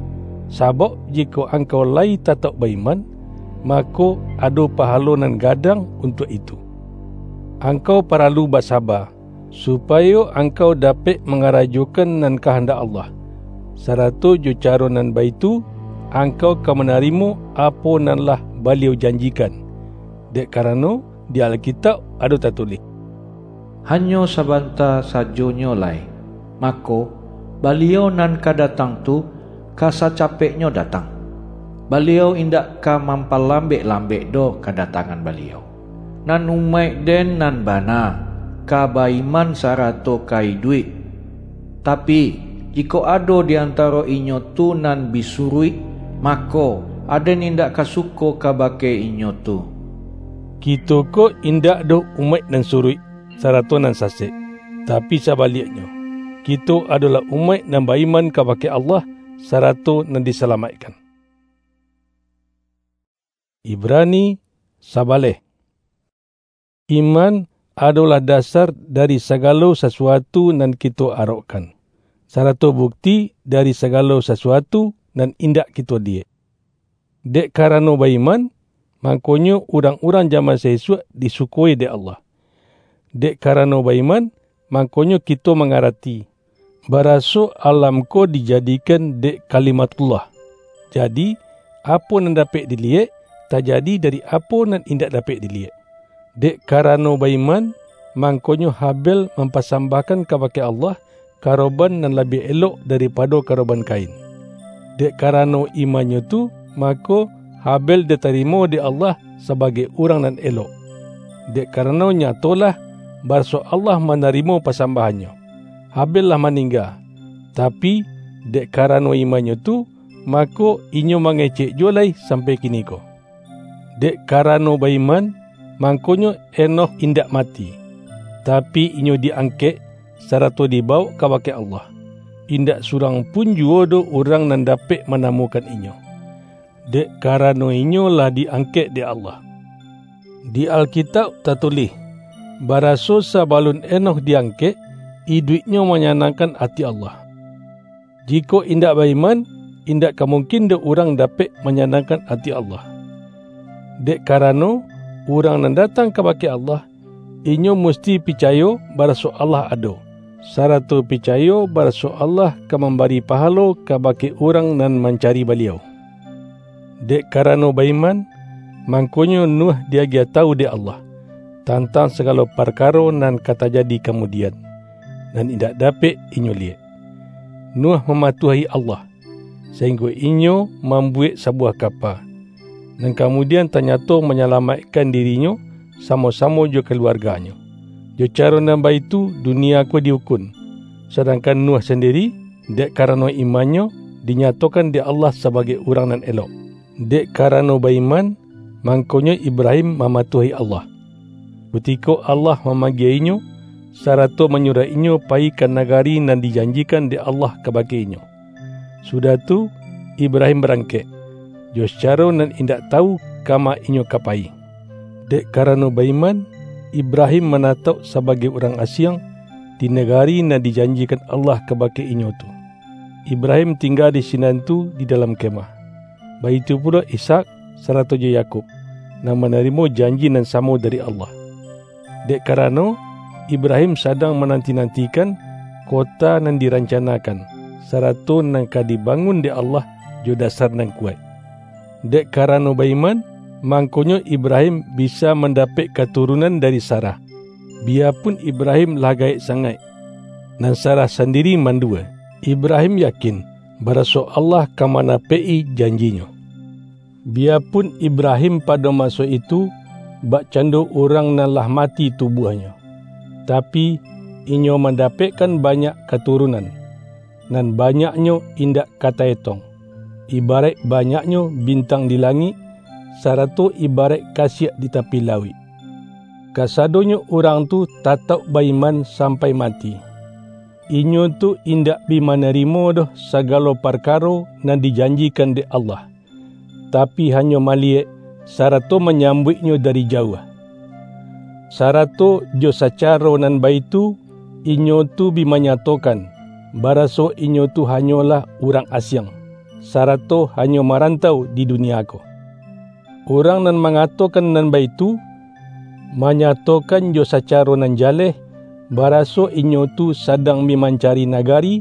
sabauk jikok angkau lai tatauk ba-iman, mako, ado pahalo nan gadang untuak itu. Angkau paralu basaba, supayo angkau dapek mangarajokan nan kahandak Allah, sarato jo caro nan baitu, angkau ka manarimo apo nan lah Baliau janjikan, dek karano di Alkitauk ado tatulih, "Hanyo sabanta sajonyo lai, mako, Baliau nan ka datang tu ka sacapeknyo datang. Baliau indak ka mampalambek-lambek doh kadatangan Baliau." Nan umaik-Den nan bana, ka ba-iman sarato ka iduik. Tapi, jikok ado di antaro inyo tu nan bi suruik, mako, Aden indak ka suko kabake inyo tu. Kito ko indak doh umaik nan suruik, sarato nan sasek, tapi sabaliaknyo, kito adolah umaik nan ba-iman kabake Allah, sarato nan disalamaikkan. Ibrani sabaleh. Iman adolah dasar dari sagalo sasuatu nan kito arokkan, sarato bukti dari sagalo sasuatu nan indak kito liyek. Dek karano ba-iman, mangkonyo urang-urang jaman saisuak disukoi dek Allah. Dek karano ba-iman, mangkonyo kito mangarati, baraso alam ko dijadikan dek Kalimatullah. Jadi, apo nan dapek diliyek, tajadi dari apo nan indak dapek diliyek. Dek karano ba-iman, mangkonyo Habel mampasambahkan kabake Allah karoban nan labiah elok daripado karoban Kain. Dek karano imannyo tu, mako, Habel ditarimo dek Allah sabagai urang nan elok. Dek karano nyatolah, baraso Allah manarimo pasambahannyo. Habel lah maningga, tapi, dek karano imannyo tu, mako, inyo mangecek juwo lai sampai kiniko. Dek karano ba-iman, mangkonyo Enokh indak mati, tapi, inyo di-angkek, sarato dibawok kabake Allah. Indak surang pun juwo doh urang nan dapek manamukan inyo, dek karano inyo lah di-angkek dek Allah. Di Alkitauk tatulih, baraso sabalun Enokh di-angkek, iduiknyo manyanangkan ati Allah. Jikok indak ba-iman, indak ka mungkin doh urang dapek manyanangkan ati Allah. Dek karano, urang nan datang kabake Allah, inyo musti picayo baraso Allah ado, sarato picayo baraso Allah ka mambari pahalo kabake urang nan mancari Baliau. Dek karano ba-iman, mangkonyo Nuh di-agiah tawu dek Allah, tantang sagalo parkaro nan ka tajadi kamudian, nan indak dapek inyo liyek. Nuh mamatuahi Allah, sainggo inyo mambuwek sabuwah kapa, nan kamudian tanyato manyalamaikkan dirinyo samo-samo jo kaluarganyo. Jo caro nan baitu dunia ko diukun, sadangkan Nuh sandiri, dek karano imannyo, dinyatokan dek Allah sabagai urang nan elok. Dek karano baiman, mangkonyo Ibrahim mamatuahi Allah, kutiko Allah mamanggiehnyo, sarato manyuruah inyo payi ka nagari nan dijanjikan dek Allah kabake inyo. Sudah tu, Ibrahim barangkek, jo sacaro nan indak tawu kama inyo ka payi. Dek karano baiman, Ibrahim manatauk sabagai urang asiang di nagari nan dijanjikan Allah kabake inyo tu. Ibrahim tingga di sinan tu di dalam kemah. Baitu pulo Ishak sarato jo Yakub, nan manarimo janji nan samo dari Allah. Dek karano, Ibrahim sadang mananti-nantikan kota nan dirancanakan, sarato nan ka dibangun dek Allah jo dasar nan kuwaik. Dek karano baiman, mangkonyo Ibrahim bisa mandapek katurunan dari Sarah, biyapun Ibrahim lah gaek sangaik, nan Sarah sandiri mandua. Ibrahim yakin, baraso Allah ka manapek-i janji-Nyo. Biyapun Ibrahim pado maso itu bakcando urang nan lah mati tubuahnyo, tapi, inyo mandapekkan banyak katurunan, nan banyaknyo indak ka taetong, ibaraik banyaknyo bintang di langik, sarato ibaraik kasiak di tapi lauik. Kasadonyo urang tu tatauk baiman sampai mati. Inyo tu indak bi manarimo doh sagalo parkaro nan dijanjikan dek Allah, tapi, hanyo maliyek, sarato manyambuiknyo dari jauah. Sarato jo sacaro nan baitu, inyo tu bi manyatokan, baraso inyo tu hanyolah urang asiang, sarato hanyo marantau di dunia ko. Urang nan mangatokan nan baitu, manyatokan jo sacaro nan jaleh, baraso inyo tu sadang bi mancari nagari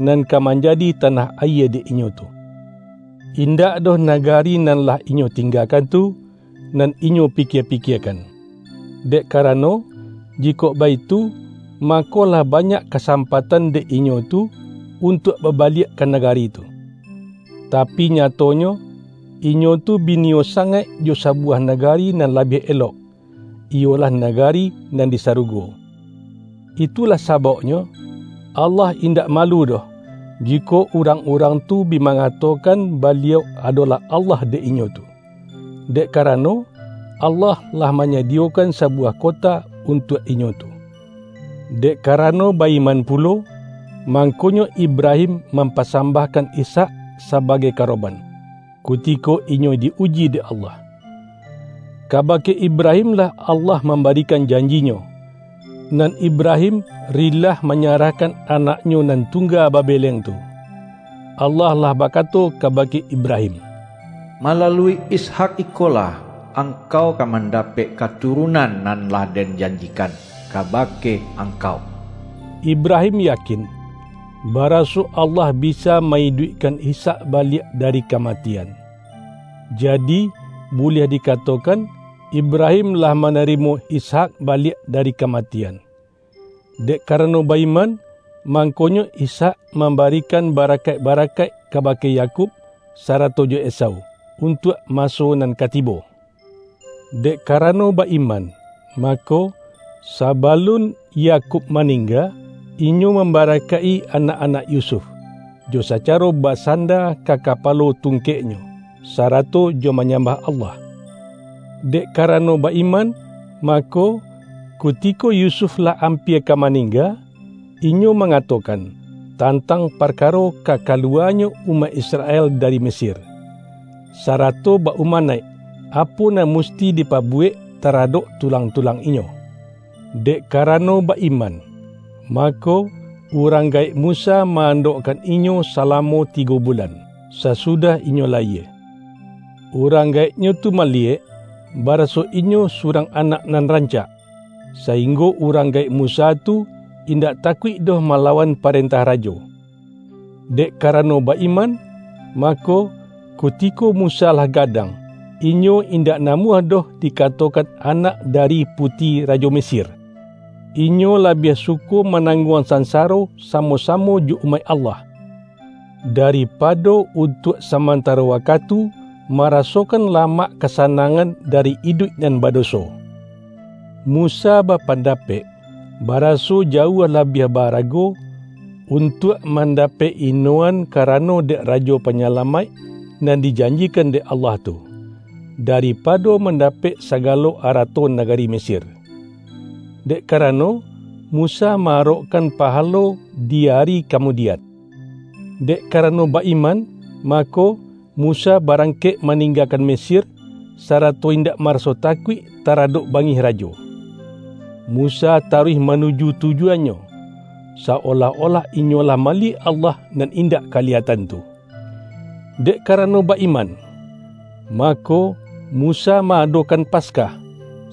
nan ka manjadi tanah ayie dek inyo tu. Indak doh nagari nan lah inyo tinggakan tu, nan inyo pikia-pikiakan. Dek karano, jikok baitu, mako lah banyak kasampatan dek inyo tu untuak babaliak ka nagari tu. Tapi, nyatonyo, inyo tu bi niyo sangaik jo sabuwah nagari nan labiah elok, iyolah nagari nan di sarugo. Itulah sababnyo, Allah indak malu doh, jikok urang-urang tu bi mangatokan Baliau adolah Allah dek inyo tu. Dek karano, Allah lah manyadiyokan sabuwah kota untuak inyo tu. Dek karano baiman pulo, mangkonyo Ibrahim mampasambahkan Ishak sabagai karoban, kutiko inyo di-uji dek Allah. Kabake Ibrahimlah Allah mambarikan janji-Nyo, nan Ibrahim rilah manyarahkan anaknyo nan tungga babeleng tu. Allah lah bakato kabake Ibrahim, "Malalui Ishak ikolah angkau ka mandapek katurunan nan lah Den janjikan kabake angkau." Ibrahim yakin, baraso Allah bisa maiduikkan Ishak baliak dari kamatian. Jadi, buliah dikatokan, Ibrahim lah manarimo Ishak baliak dari kamatian. Dek karano baiman, mangkonyo Ishak mambarikan barakaik-barakaik kabake Yakub sarato jo Esau, untuak maso nan ka tibo. Dek karano baiman, mako, sabalun Yakub maningga, inyo mambarakaik-i anak-anak Yusuf, jo sacaro basanda ka kapalo tungkeknyo, sarato jo manyambah Allah. Dek karano baiman, mako, kutiko Yusuf lah ampia ka maningga, inyo mangatokan tantang parkaro ka kaluwanyo umaik Israel dari Mesir, sarato ba-umanaik apo nan musti dipabuwek taradok tulang-tulang inyo. Dek karano baiman, mako, urang gaek Musa ma-andokkan inyo salamo tigo bulan, sasudah inyo layie. Urang gaeknyo tu maliyek, baraso inyo surang anak nan rancak, sainggo urang gaek Musa tu indak takuik doh malawan parentah rajo. Dek karano baiman, mako, kutiko Musa lah gadang, inyo indak namuah doh dikatokan anak dari puti rajo Mesir. Inyo labiah suko manangguang sansaro samo-samo jo umaik Allah. daripado untuak samantaro wakatu marasokan lamak kasanangan dari iduik nan badoso. Musa bapandapek, baraso jauah labiah barago untuak mandapek inoan karano dek Rajo Panyalamaik nan dijanjikan dek Allah tu, daripado mandapek sagalo arato nagari Mesir. Dek karano, Musa ma-arokkan pahalo di ari kamudian. Dek karano ba-iman, mako, Musa barangkek maninggakan Mesir, sarato indak maraso takuik taradok bangih rajo. Musa taruih manuju tujuannyo, saolah-olah inyo lah maliek Allah nan indak kaliyatan tu. Dek karano ba-iman, mako, Musa ma-adokan Paskah,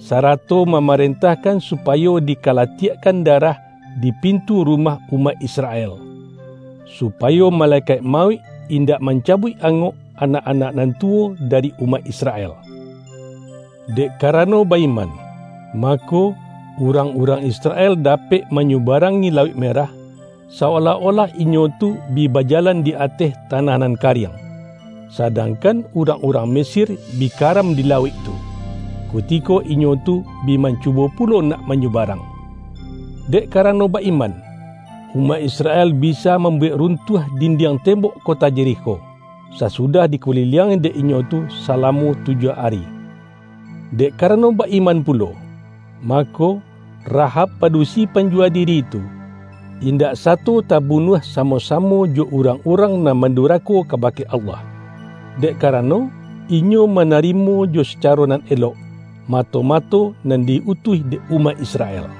sarato mamarentahkan supayo dikalatiakkan darah di pintu rumah umaik Israel, supayo malekaik mauik indak mancabuik angok anak-anak nan tuwo dari umaik Israel. Dek karano ba-iman, mako, urang-urang Israel dapek manyubarangi Lauik Merah, saolah-olah inyo tu bi bajalan di ateh tanah nan kariang, sadangkan urang-urang Mesir bi karam di lauik tu, kutiko inyo tu bi mancubo pulo nak manyubarang. Dek karano ba-iman, umaik Israel bisa mambuwek runtuah dindiang tembok kota Yerikho, sasudah dikuliliangi dek inyo tu salamo tujuah ari. Dek karano ba-iman pulo, mako, Rahab padusi panjuwa diri tu, indak sato tabunuah samo-samo jo urang-urang nan mandurako kabake Allah, dek karano inyo manarimo jo sacaro nan elok, mato-mato nan di-utuih dek umaik Israel.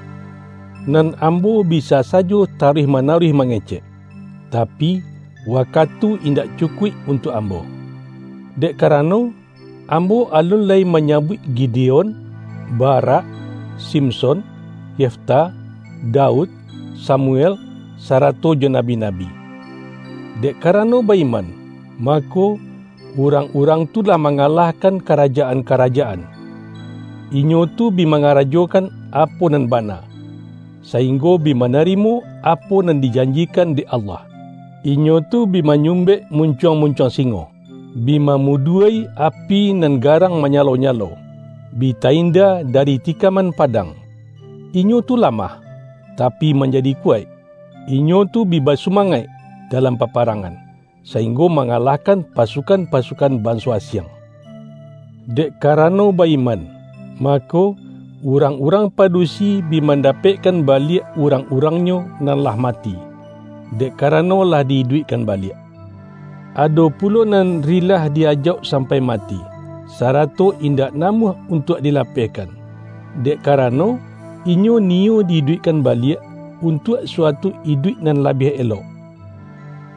Nan ambo bisa sajo taruih-manaruih mangecek, tapi, wakatu indak cukuik untuak ambo. Dek karano, ambo alun lai manyabuik Gideon, Barak, Simson, Yefta, Daud, Samuel, sarato jo nabi-nabi. Dek karano ba-iman, mako, urang-urang tu lah mangalahkan karajaan-karajaan. Inyo tu bi mangarajokan apo nan bana, sainggo bi manarimo apo nan dijanjikan dek Allah. Inyo tu bi manyumbek muncuang-muncuang singo, bi mamuduai api nan garang manyalo-nyalo, bi tainda dari tikaman padang. Inyo tu lamah, tapi manjadi kuwaik. Inyo tu bi basumangaik dalam paparangan, sainggo mangalahkan pasukan-pasukan banso asiang. Dek karano ba-iman, mako, urang-urang padusi bi mandapekkan baliak urang-urangnyo nan lah mati, dek karano lah di-iduikkan baliak. Ado pulo nan rilah di-ajauk sampai mati, sarato indak namuah untuak dilapehkan, dek karano inyo niyo di-iduikkan baliak untuak suatu iduik nan labiah elok.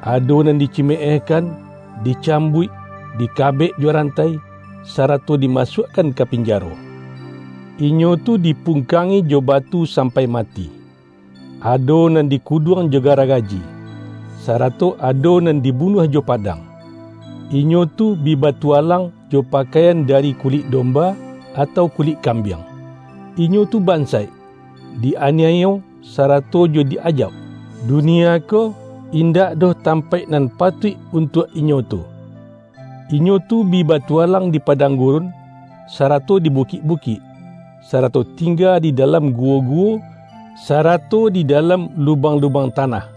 Ado nan dicimeehkan, dicambuik, dikabek jo rantai, sarato dimasuakkan ka pinjaro. Inyo tu dipungkangi jo batu sampai mati. Ado nan dikuduang jo garagaji, sarato ado nan dibunuah jo padang. Inyo tu bi batualang jo pakaian dari kulik domba atau kulik kambiang. Inyo tu bansaik, di-aniayo, sarato jo di-ajauk. Dunia ko indak doh tampaik nan patuik untuak inyo tu. Inyo tu bi batualang di padang gurun, sarato di bukik-bukik, sarato tingga di dalam guwo-guwo, sarato di dalam lubang-lubang tanah.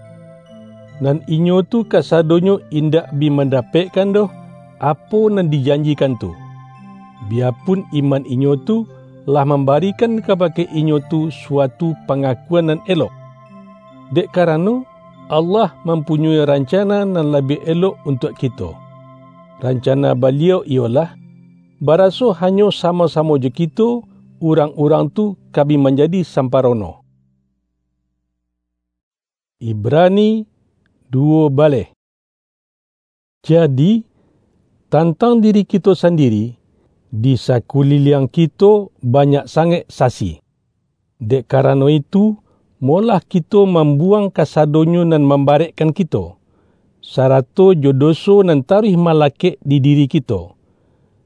Nan inyo tu kasadonyo indak bi mandapekkan doh apo nan dijanjikan tu, biyapun iman inyo tu lah mambarikan kabake inyo tu suatu pangakuan nan elok. Dek karano, Allah mampunyoi rancana nan labiah elok untuak kito. Rancana Baliau iyolah, baraso hanyo samo-samo jo kito, urang-urang tu ka bi manjadi samparono. Ibrani duo baleh. Jadi, tantang diri kito sandiri, di sakuliliang kito banyak sangaik sasi. Dek karano itu, molah kito mambuwang kasadonyo nan mambarekkan kito, sarato jo doso nan taruih malakek di diri kito,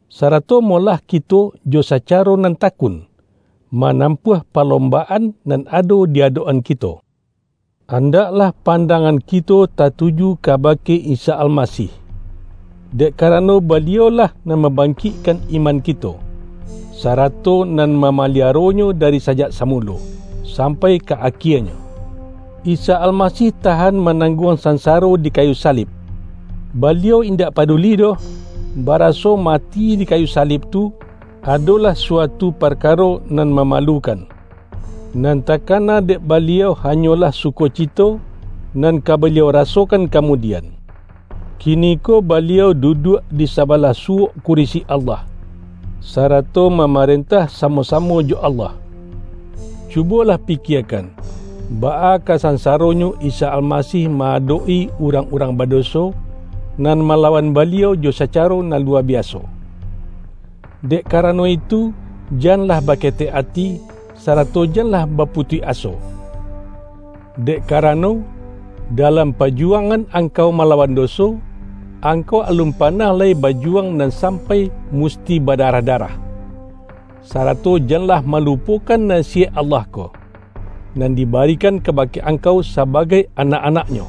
sarato molah kito jo sacaro nan takun, manampuah palombaan nan ado di adok-an kito. Andaklah pandangan kito tatuju kabake Isa Almasih, dek karano Baliau-lah nan mambangkikkan iman kito, sarato nan mamaliaronyo dari sajak samulo, sampai ka akienyo. Isa Almasih tahan manangguang sansaro di kayu salib. Baliau indak paduli doh, baraso mati di kayu salib tu adolah suatu parkaro nan mamalukan. Nan takana dek Baliau hanyolah sukocito nan ka Baliau rasokan kamudian. Kiniko Baliau duduak di sabalah suok kurisi Allah, sarato mamarentah samo-samo jo Allah. Cubolah pikiakan, baa ka sansaronyo Isa Almasih ma-adok-i urang-urang badoso, nan malawan Baliau jo sacaro nan lua biaso. Dek karano itu, janlah baketek ati, sarato janlah baputuih aso. Dek karano, dalam pajuwangan angkau malawan doso, angkau alun panah lai bajuwang nan sampai musti badarah-darah, sarato janlah malupokan nasiyek Allah ko, nan dibarikan kabake angkau sabagai anak-anak-Nyo.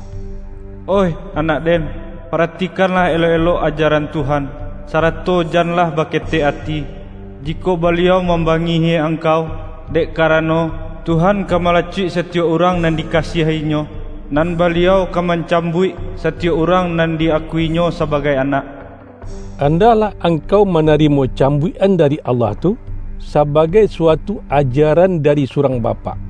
Oih anak den, paratikanlah elok-elok ajaran Tuhan, sarato janlah baketek ati, jikok Baliau mambangihi angkau, dek karano, Tuhan ka malacuik satiyok urang nan dikasiahi-Nyo, nan Baliau ka mancambuik satiyok urang nan di-akui-Nyo sabagai anak. Andaklah angkau manarimo cambuikan dari Allah tu, sabagai suatu ajaran dari surang bapak.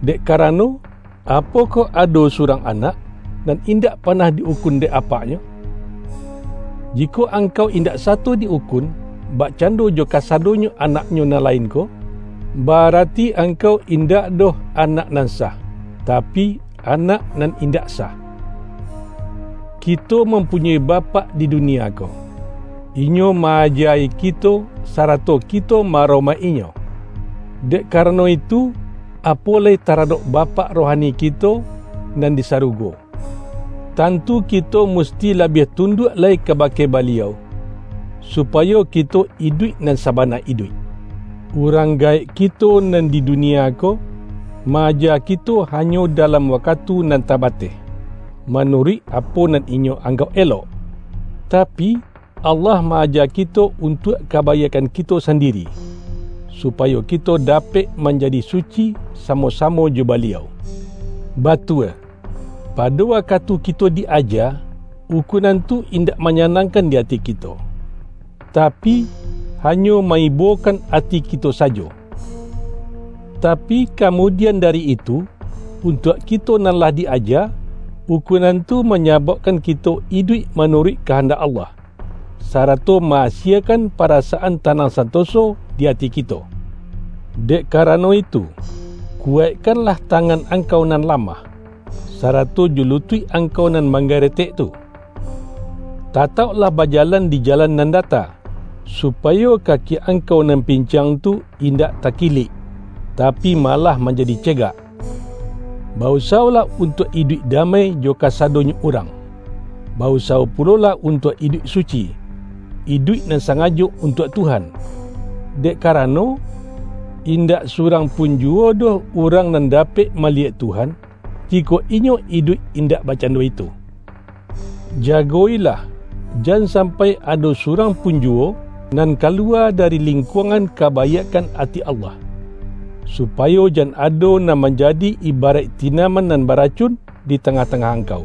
Dek karano, apokoh ado surang anak, nan indak panah di-ukun dek apaknyo? Jikok angkau indak sato di-ukun, bakcando jo kasadonyo anaknyo nan lain ko, barati angkau indak doh anak nan sah, tapi anak nan indak sah. Kito mampunyoi bapak di dunia ko. Inyo ma-aja-i kito, sarato kito ma-aromaik-inyo. Dek karano itu, apo lai taradok Bapak rohani kito nan di sarugo. Tantu kito musti labiah tunduak lai kabake Baliau, supayo kito iduik nan sabana iduik. Urang gaek kito nan di dunia ko, ma-aja kito hanyo dalam wakatu nan tabateh, manuruik apo nan inyo anggauk elok. Tapi, Allah ma-aja kito untuak kabaiakkan kito sandiri, supayo kito dapek manjadi suci samo-samo jo Baliau. Batua, pado wakatu kito di-aja, ukunan tu indak manyanangkan di ati kito, tapi, hanyo ma-ibokan ati kito sajo. Tapi, kamudian dari itu, untuak kito nan lah di-aja, ukunan tu manyababkan kito iduik manuruik kahandak Allah, sarato ma-asiekan parasaan tanang santoso di ati kito. Dek karano itu, kuwaikkanlah tangan angkau nan lamah, sarato jo lutuik angkau nan manggaretek tu. Tatauklah bajalan di jalan nan data, supayo kaki angkau nan pincang tu indak takilik, tapi malah manjadi cegak. Bausawolah untuak iduik damai jo kasadonyo urang. Bausawo pulolah untuak iduik suci, iduik nan sangajo untuak Tuhan. Dek karano, indak surang pun juwo doh urang nan dapek maliyek Tuhan, jikok inyo iduik indak bakcando itu. Jago-ilah, jan sampai ado surang pun juwo nan kaluwa dari lingkuangan kabaiakkan ati Allah, supayo jan ado nan manjadi ibaraik tinaman nan baracun di tangah-tangah angkau,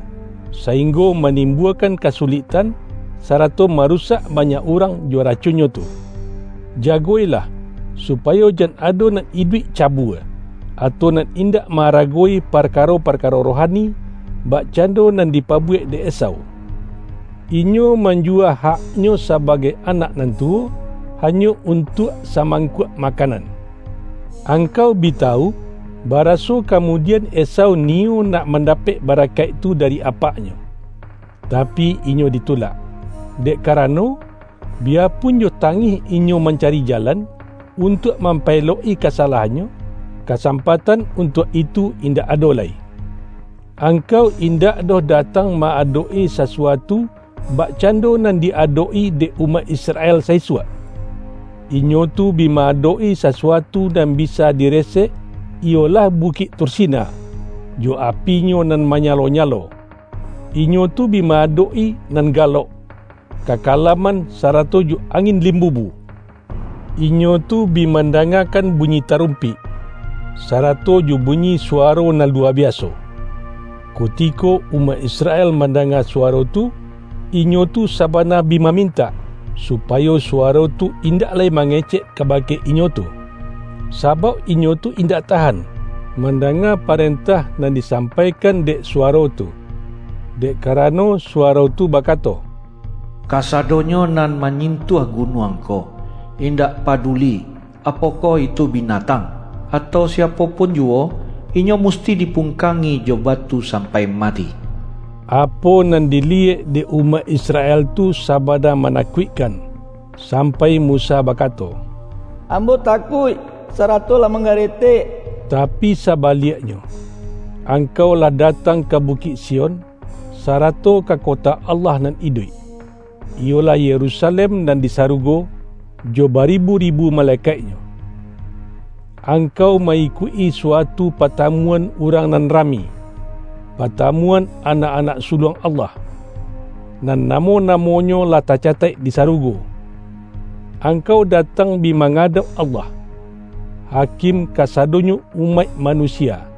sainggo manimbuakan kasuliktan, sarato marusak banyak urang jo racunnyo tu. Jago-ilah, supayo jan ado nan iduik cabua, atau nan indak maaragoi parkaro-parkaro rohani, bakcando nan dipabuwek dek Esau. Inyo manjuwa haknyo sabagai anak nan tuwo, hanyo untuak samangkuak makanan. Angkau bi tawu, baraso kamudian Esau niyo nak mandapek barakaik tu dari apaknyo. Tapi, inyo ditulak, dek karano, biyapun jo tangih inyo mancari jalan untuak mampaelok-i kasalahannyo, kasampatan untuak itu indak ado lai. Angkau indak doh datang ma-adok-i sasuatu bakcando nan di-adok-i dek umaik Israel saisuak. Inyo tu bi ma-adok-i sasuatu nan bisa diresek, iyolah Bukik Tursina. jo apinyo nan manyalo-nyalo. Inyo tu bi ma-adok-i nan galok, kakalaman sarato jo angin limbubu. Inyo tu bi mandangakan bunyi tarumpik, sarato jo bunyi suwaro nan luwa biaso. Kutiko umaik Israel mandanga suwaro tu, inyo tu sabana bi mamintak, supayo suwaro tu indak lai mangecek kabake inyo tu, sabauk inyo tu indak tahan mandanga parentah nan disampaikan dek suwaro tu. Dek karano suwaro tu bakato, "Kasadonyo nan manyintuah gunuang ko, indak paduli apokoh itu binatang, atau siapo pun juwo, inyo musti dipungkangi jo batu sampai mati." Apo nan diliyek dek umaik Israel tu sabana manakuikkan, sampai Musa bakato, "Ambo takuik, sarato lah manggaretek." Tapi sabaliaknyo, angkau lah datang ka Bukik Sion, sarato ka kota Allah nan iduik, iyolah Yerusalem nan di sarugo, jo baribu-ribu malekaiknyo. Angkau ma-ikuik-i suatu patamuan urang nan rami, patamuan anak-anak suluang Allah, nan namo-namonyo lah tacataik di sarugo. Angkau datang bi mangadauk Allah, Hakim kasadonyo umaik manusia.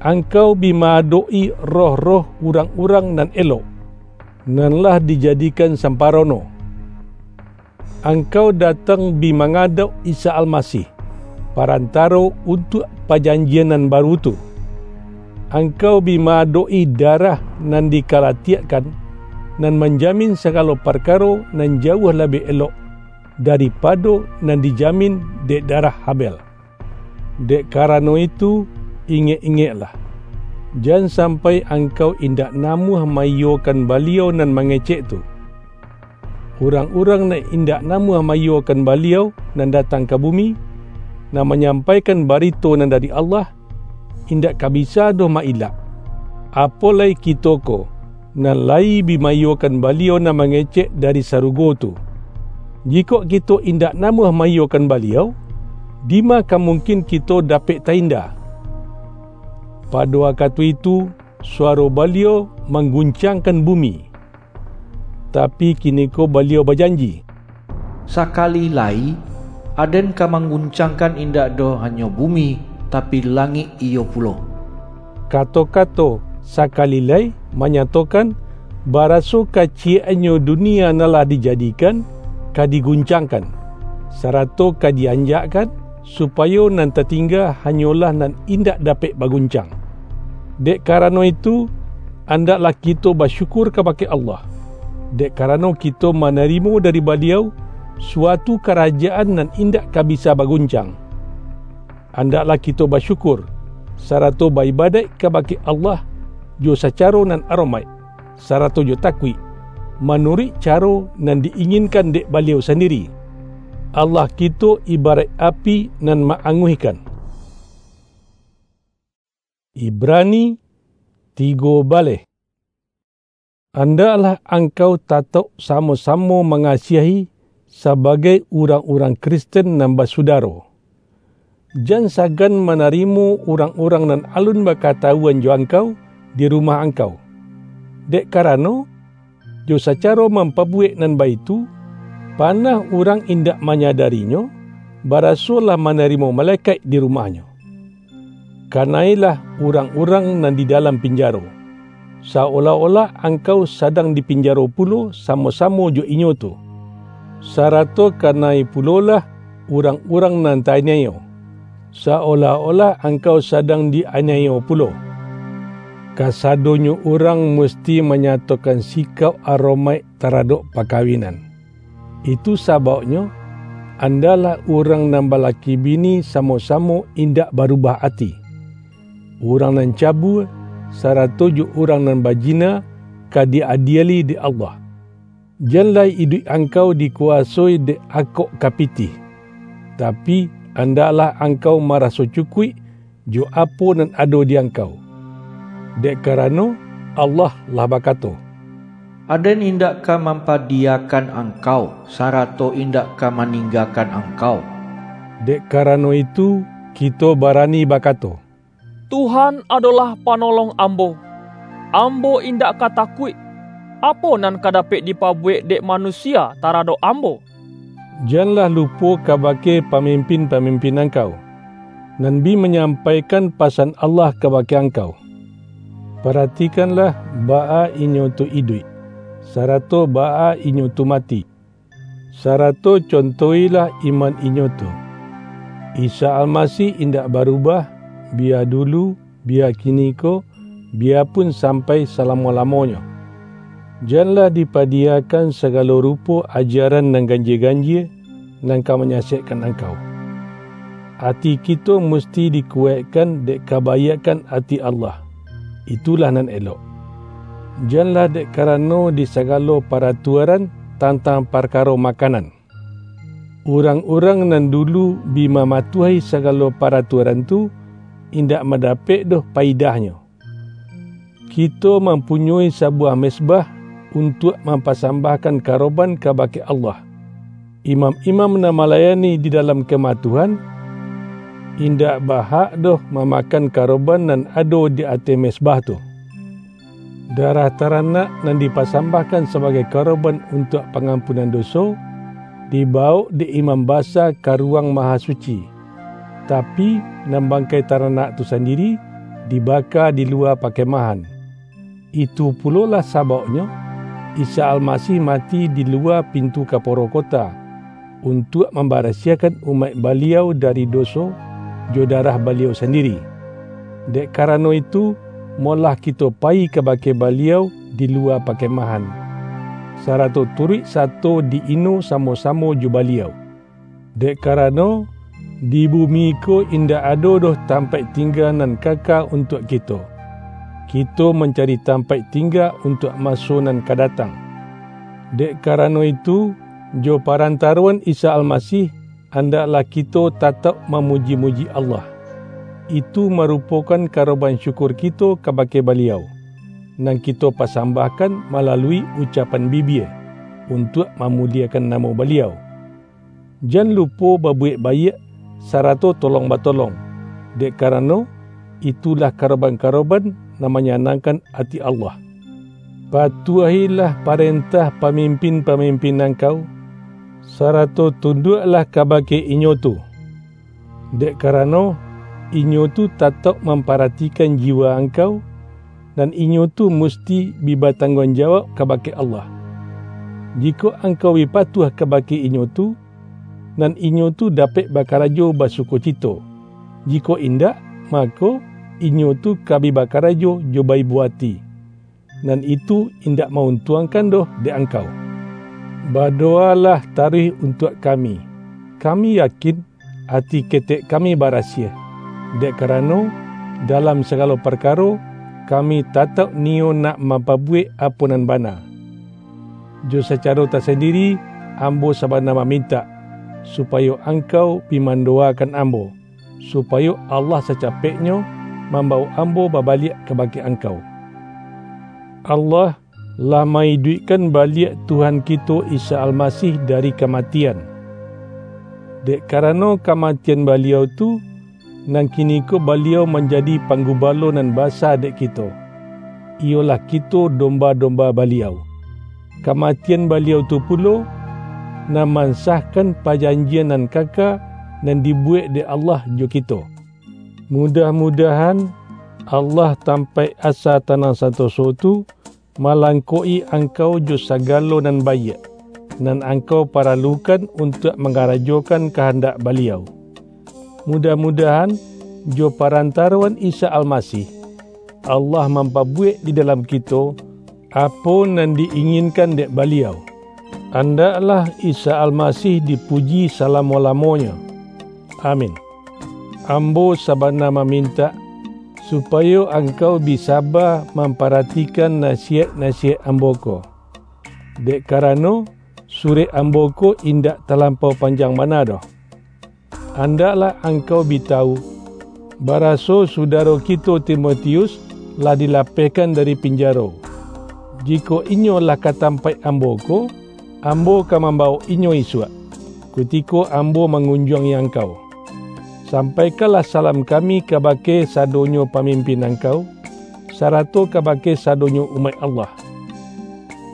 Angkau bi ma-adok-i roh-roh urang-urang nan elok, nan lah dijadikan samparono. Angkau datang bi mangadauk Isa Almasih, parantaro untuak pajanjian nan baru tu. Angkau bi ma-adok-i darah nan dikalatiakkan, nan manjamin sagalo parkaro nan jauah labiah elok daripado nan dijamin dek darah Habel. Dek karano itu, ingek-ingeklah, jan sampai angkau indak namuah maiyokan Baliau nan mangecek tu. Urang-urang nan indak namuah maiyokan Baliau nan datang ka bumi, nan manyampaikan barito nan dari Allah, indak ka bisa doh ma-ilak. Apo lai kito ko, nan layi bi maiyokan Baliau nan mangecek dari sarugo tu? Jikok kito indak namuah maiyokan Baliau, dima ka mungkin kito dapek tainda? Pado wakatu itu, suwaro Baliau mangguncangkan bumi. Tapi, kiniko Baliau bajanji, "Sakali lai, Aden ka mangguncangkan indak doh hanyo bumi, tapi langik iyo pulo." Kato-kato "sakali lai" manyatokan, baraso kaciyek-annyo dunia nan lah dijadikan, ka diguncangkan, sarato ka di-anjakkan, supayo nan tatingga hanyolah nan indak dapek baguncang. Dek karano itu, andaklah kito basyukur kabake Allah, dek karano kito manarimo dari Baliau suatu karajaan nan indak ka bisa baguncang. Andaklah kito basyukur, sarato baibadaik kabake Allah jo sacaro nan aromaik, sarato jo takuik, manuruik caro nan di-inginkan dek Baliau sandiri. Allah kito ibaraik api nan ma-anguihkan. Ibrani tigo baleh. Andaklah angkau tatauk samo-samo mangasiahi sabagai urang-urang Kristen nan basudaro. Jan sagan manarimo urang-urang nan alun bakatawuan jo angkau di rumah angkau. Dek karano, jo sacaro mampabuwek nan baitu, panah urang indak manyadarinyo, baraso lah manarimo malekaik di rumahnyo. Kanailah urang-urang nan di dalam pinjaro, saolah-olah angkau sadang di pinjaro pulo samo-samo jo inyo tu. Sarato kanai pulolah urang-urang nan ta-aniayo, saolah-olah angkau sadang di-aniayo pulo. Kasadonyo urang musti manyatokan sikauk aromaik taradok pakawinan. Itu sabauknyo, andaklah urang nan balaki bini samo-samo indak barubah ati. Urang nan cabua, sarato jo urang nan bajina, ka di-adieli dek Allah. Jan lai iduik angkau dikuwasoi dek akok ka pitih, tapi, andaklah angkau maraso cukuik jo apo nan ado di angkau. Dek karano, Allah lah bakato, "Aden indak ka mampadiyakan angkau, sarato indak ka maninggakan angkau." Dek karano itu, kito barani bakato, "Tuhan adolah panolong ambo. Ambo indak ka takuik. Apo nan ka dapek dipabuwek dek manusia taradok ambo?" Janlah lupo kabake pamimpin-pamimpin angkau, nan bi manyampaikan pasan Allah kabake angkau. Paratikanlah baa inyo tu iduik, sarato baa inyo tu mati, sarato contohilah iman inyo tu. Isa Almasih indak barubah, bia dulu, bia kiniko, bia pun sampai salamo-lamonyo. Janlah dipadiyakan sagalo rupo ajaran nan ganjie-ganjie, nan ka manyasekkan angkau. Ati kito musti dikuwaikkan dek kabaiakkan ati Allah. Itulah nan elok. Janlah dek karano di sagalo paratuaran tantang parkaro makanan. Urang-urang nan dulu bi mamatuahi sagalo paratuaran tu, indak mandapek doh paidahnyo. Kito mampunyoi sabuwah mezbah untuak mampasambahkan karoban kabake Allah. Imam-imam nan malayani di dalam Kemah Tuhan, indak bahak doh mamakan karoban nan ado di ateh mezbah tu. Darah taranak nan dipasambahkan sabagai karoban untuak pangampunan doso, dibawok dek imam basa ka Ruwang Mahasuci, tapi, nan bangkai taranak tu sandiri dibaka di luwa pakemahan. Itu pulolah sabauknyo, Isa Almasih mati di luwa pintu kaporo kota, untuak mambarasiahkan umaik Baliau dari doso jo darah Baliau sandiri. Dek karano itu, molah kito payi kabake Baliau di luwa pakemahan, sarato turuik sato di-ino samo-samo jo Baliau. Dek karano, di bumi ko indak ado doh tampaik tingga nan kaka untuak kito. Kito mancari tampaik tingga untuak maso nan ka datang. Dek karano itu, jo parantaroan Isa Almasih, andaklah kito tatauk mamuji-muji Allah. Itu marupokan karoban syukur kito kabake Baliau, nan kito pasambahkan malalui ucapan bibia, untuak mamuliekan namo Baliau. Jan lupo babuwek baiak, sarato tolong-batolong, dek karano, itulah karoban-karoban nan manyanangkan ati Allah. Patuahilah parentah pamimpin-pamimpin angkau, sarato tunduaklah kabake inyo tu. Dek karano, inyo tu tatauk mamparatikan jiwa angkau, nan inyo tu musti bi batangguang jawab kabake Allah. Jikok angkau bi patuah kabake inyo tu, nan inyo tu dapek bakarajo basukocito. Jikok indak, mako, inyo tu ka bi bakarajo jo baibo ati, nan itu indak ma-untuangkan doh dek angkau. Badowalah taruih untuak kami. Kami yakin, ati ketek kami barasiah, dek karano, dalam sagalo parkaro, kami tatauk niyo nak mampabuwek apo nan bana. Jo sacaro tasandiri, ambo sabana mamintak, supayo angkau bi mandowakan ambo, supayo Allah sacapeknyo mambawok ambo babaliak kabake angkau. Allah lah maiduikkan baliak Tuhan kito Isa Almasih dari kamatian. Dek karano kamatian Baliau tu, nan kiniko Baliau manjadi panggubalo nan basa dek kito, iyolah kito domba-domba Baliau. Kamatian Baliau tu pulo, nan mansahkan pajanjian nan kaka nan dibuwek dek Allah jo kito. Mudah-mudahan, Allah tampaik asa tanang santoso tu malangkok-i angkau jo sagalo nan baiak, nan angkau paralukan untuak mangarajokan kahandak Baliau. Mudah-mudahan, jo parantaroan Isa Almasih, Allah mampabuwek di dalam kito apo nan di-inginkan dek Baliau. Andaklah Isa Almasih dipuji salamo-lamonyo. Amin. Ambo sabana mamintak, supayo angkau bi saba mamparatikan nasiyaik-nasiyaik ambo ko. Dek karano, surek ambo ko indak talampau panjang bana doh. Andaklah angkau bi tawu, baraso sudaro kito Timotius lah dilapehkan dari pinjaro. Jikok inyo lah ka tampaik ambo ko, ambo ka mambawok inyo isuak, kutiko ambo mangunjuangi angkau. Sampaikanlah salam kami kabake sadonyo pamimpin angkau, sarato kabake sadonyo umaik Allah.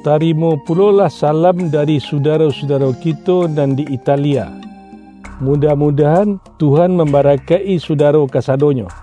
Tarimo pulolah salam dari sudaro-sudaro kito nan di Italia. Mudah-mudahan Tuhan mambarakaik-i sudaro kasadonyo.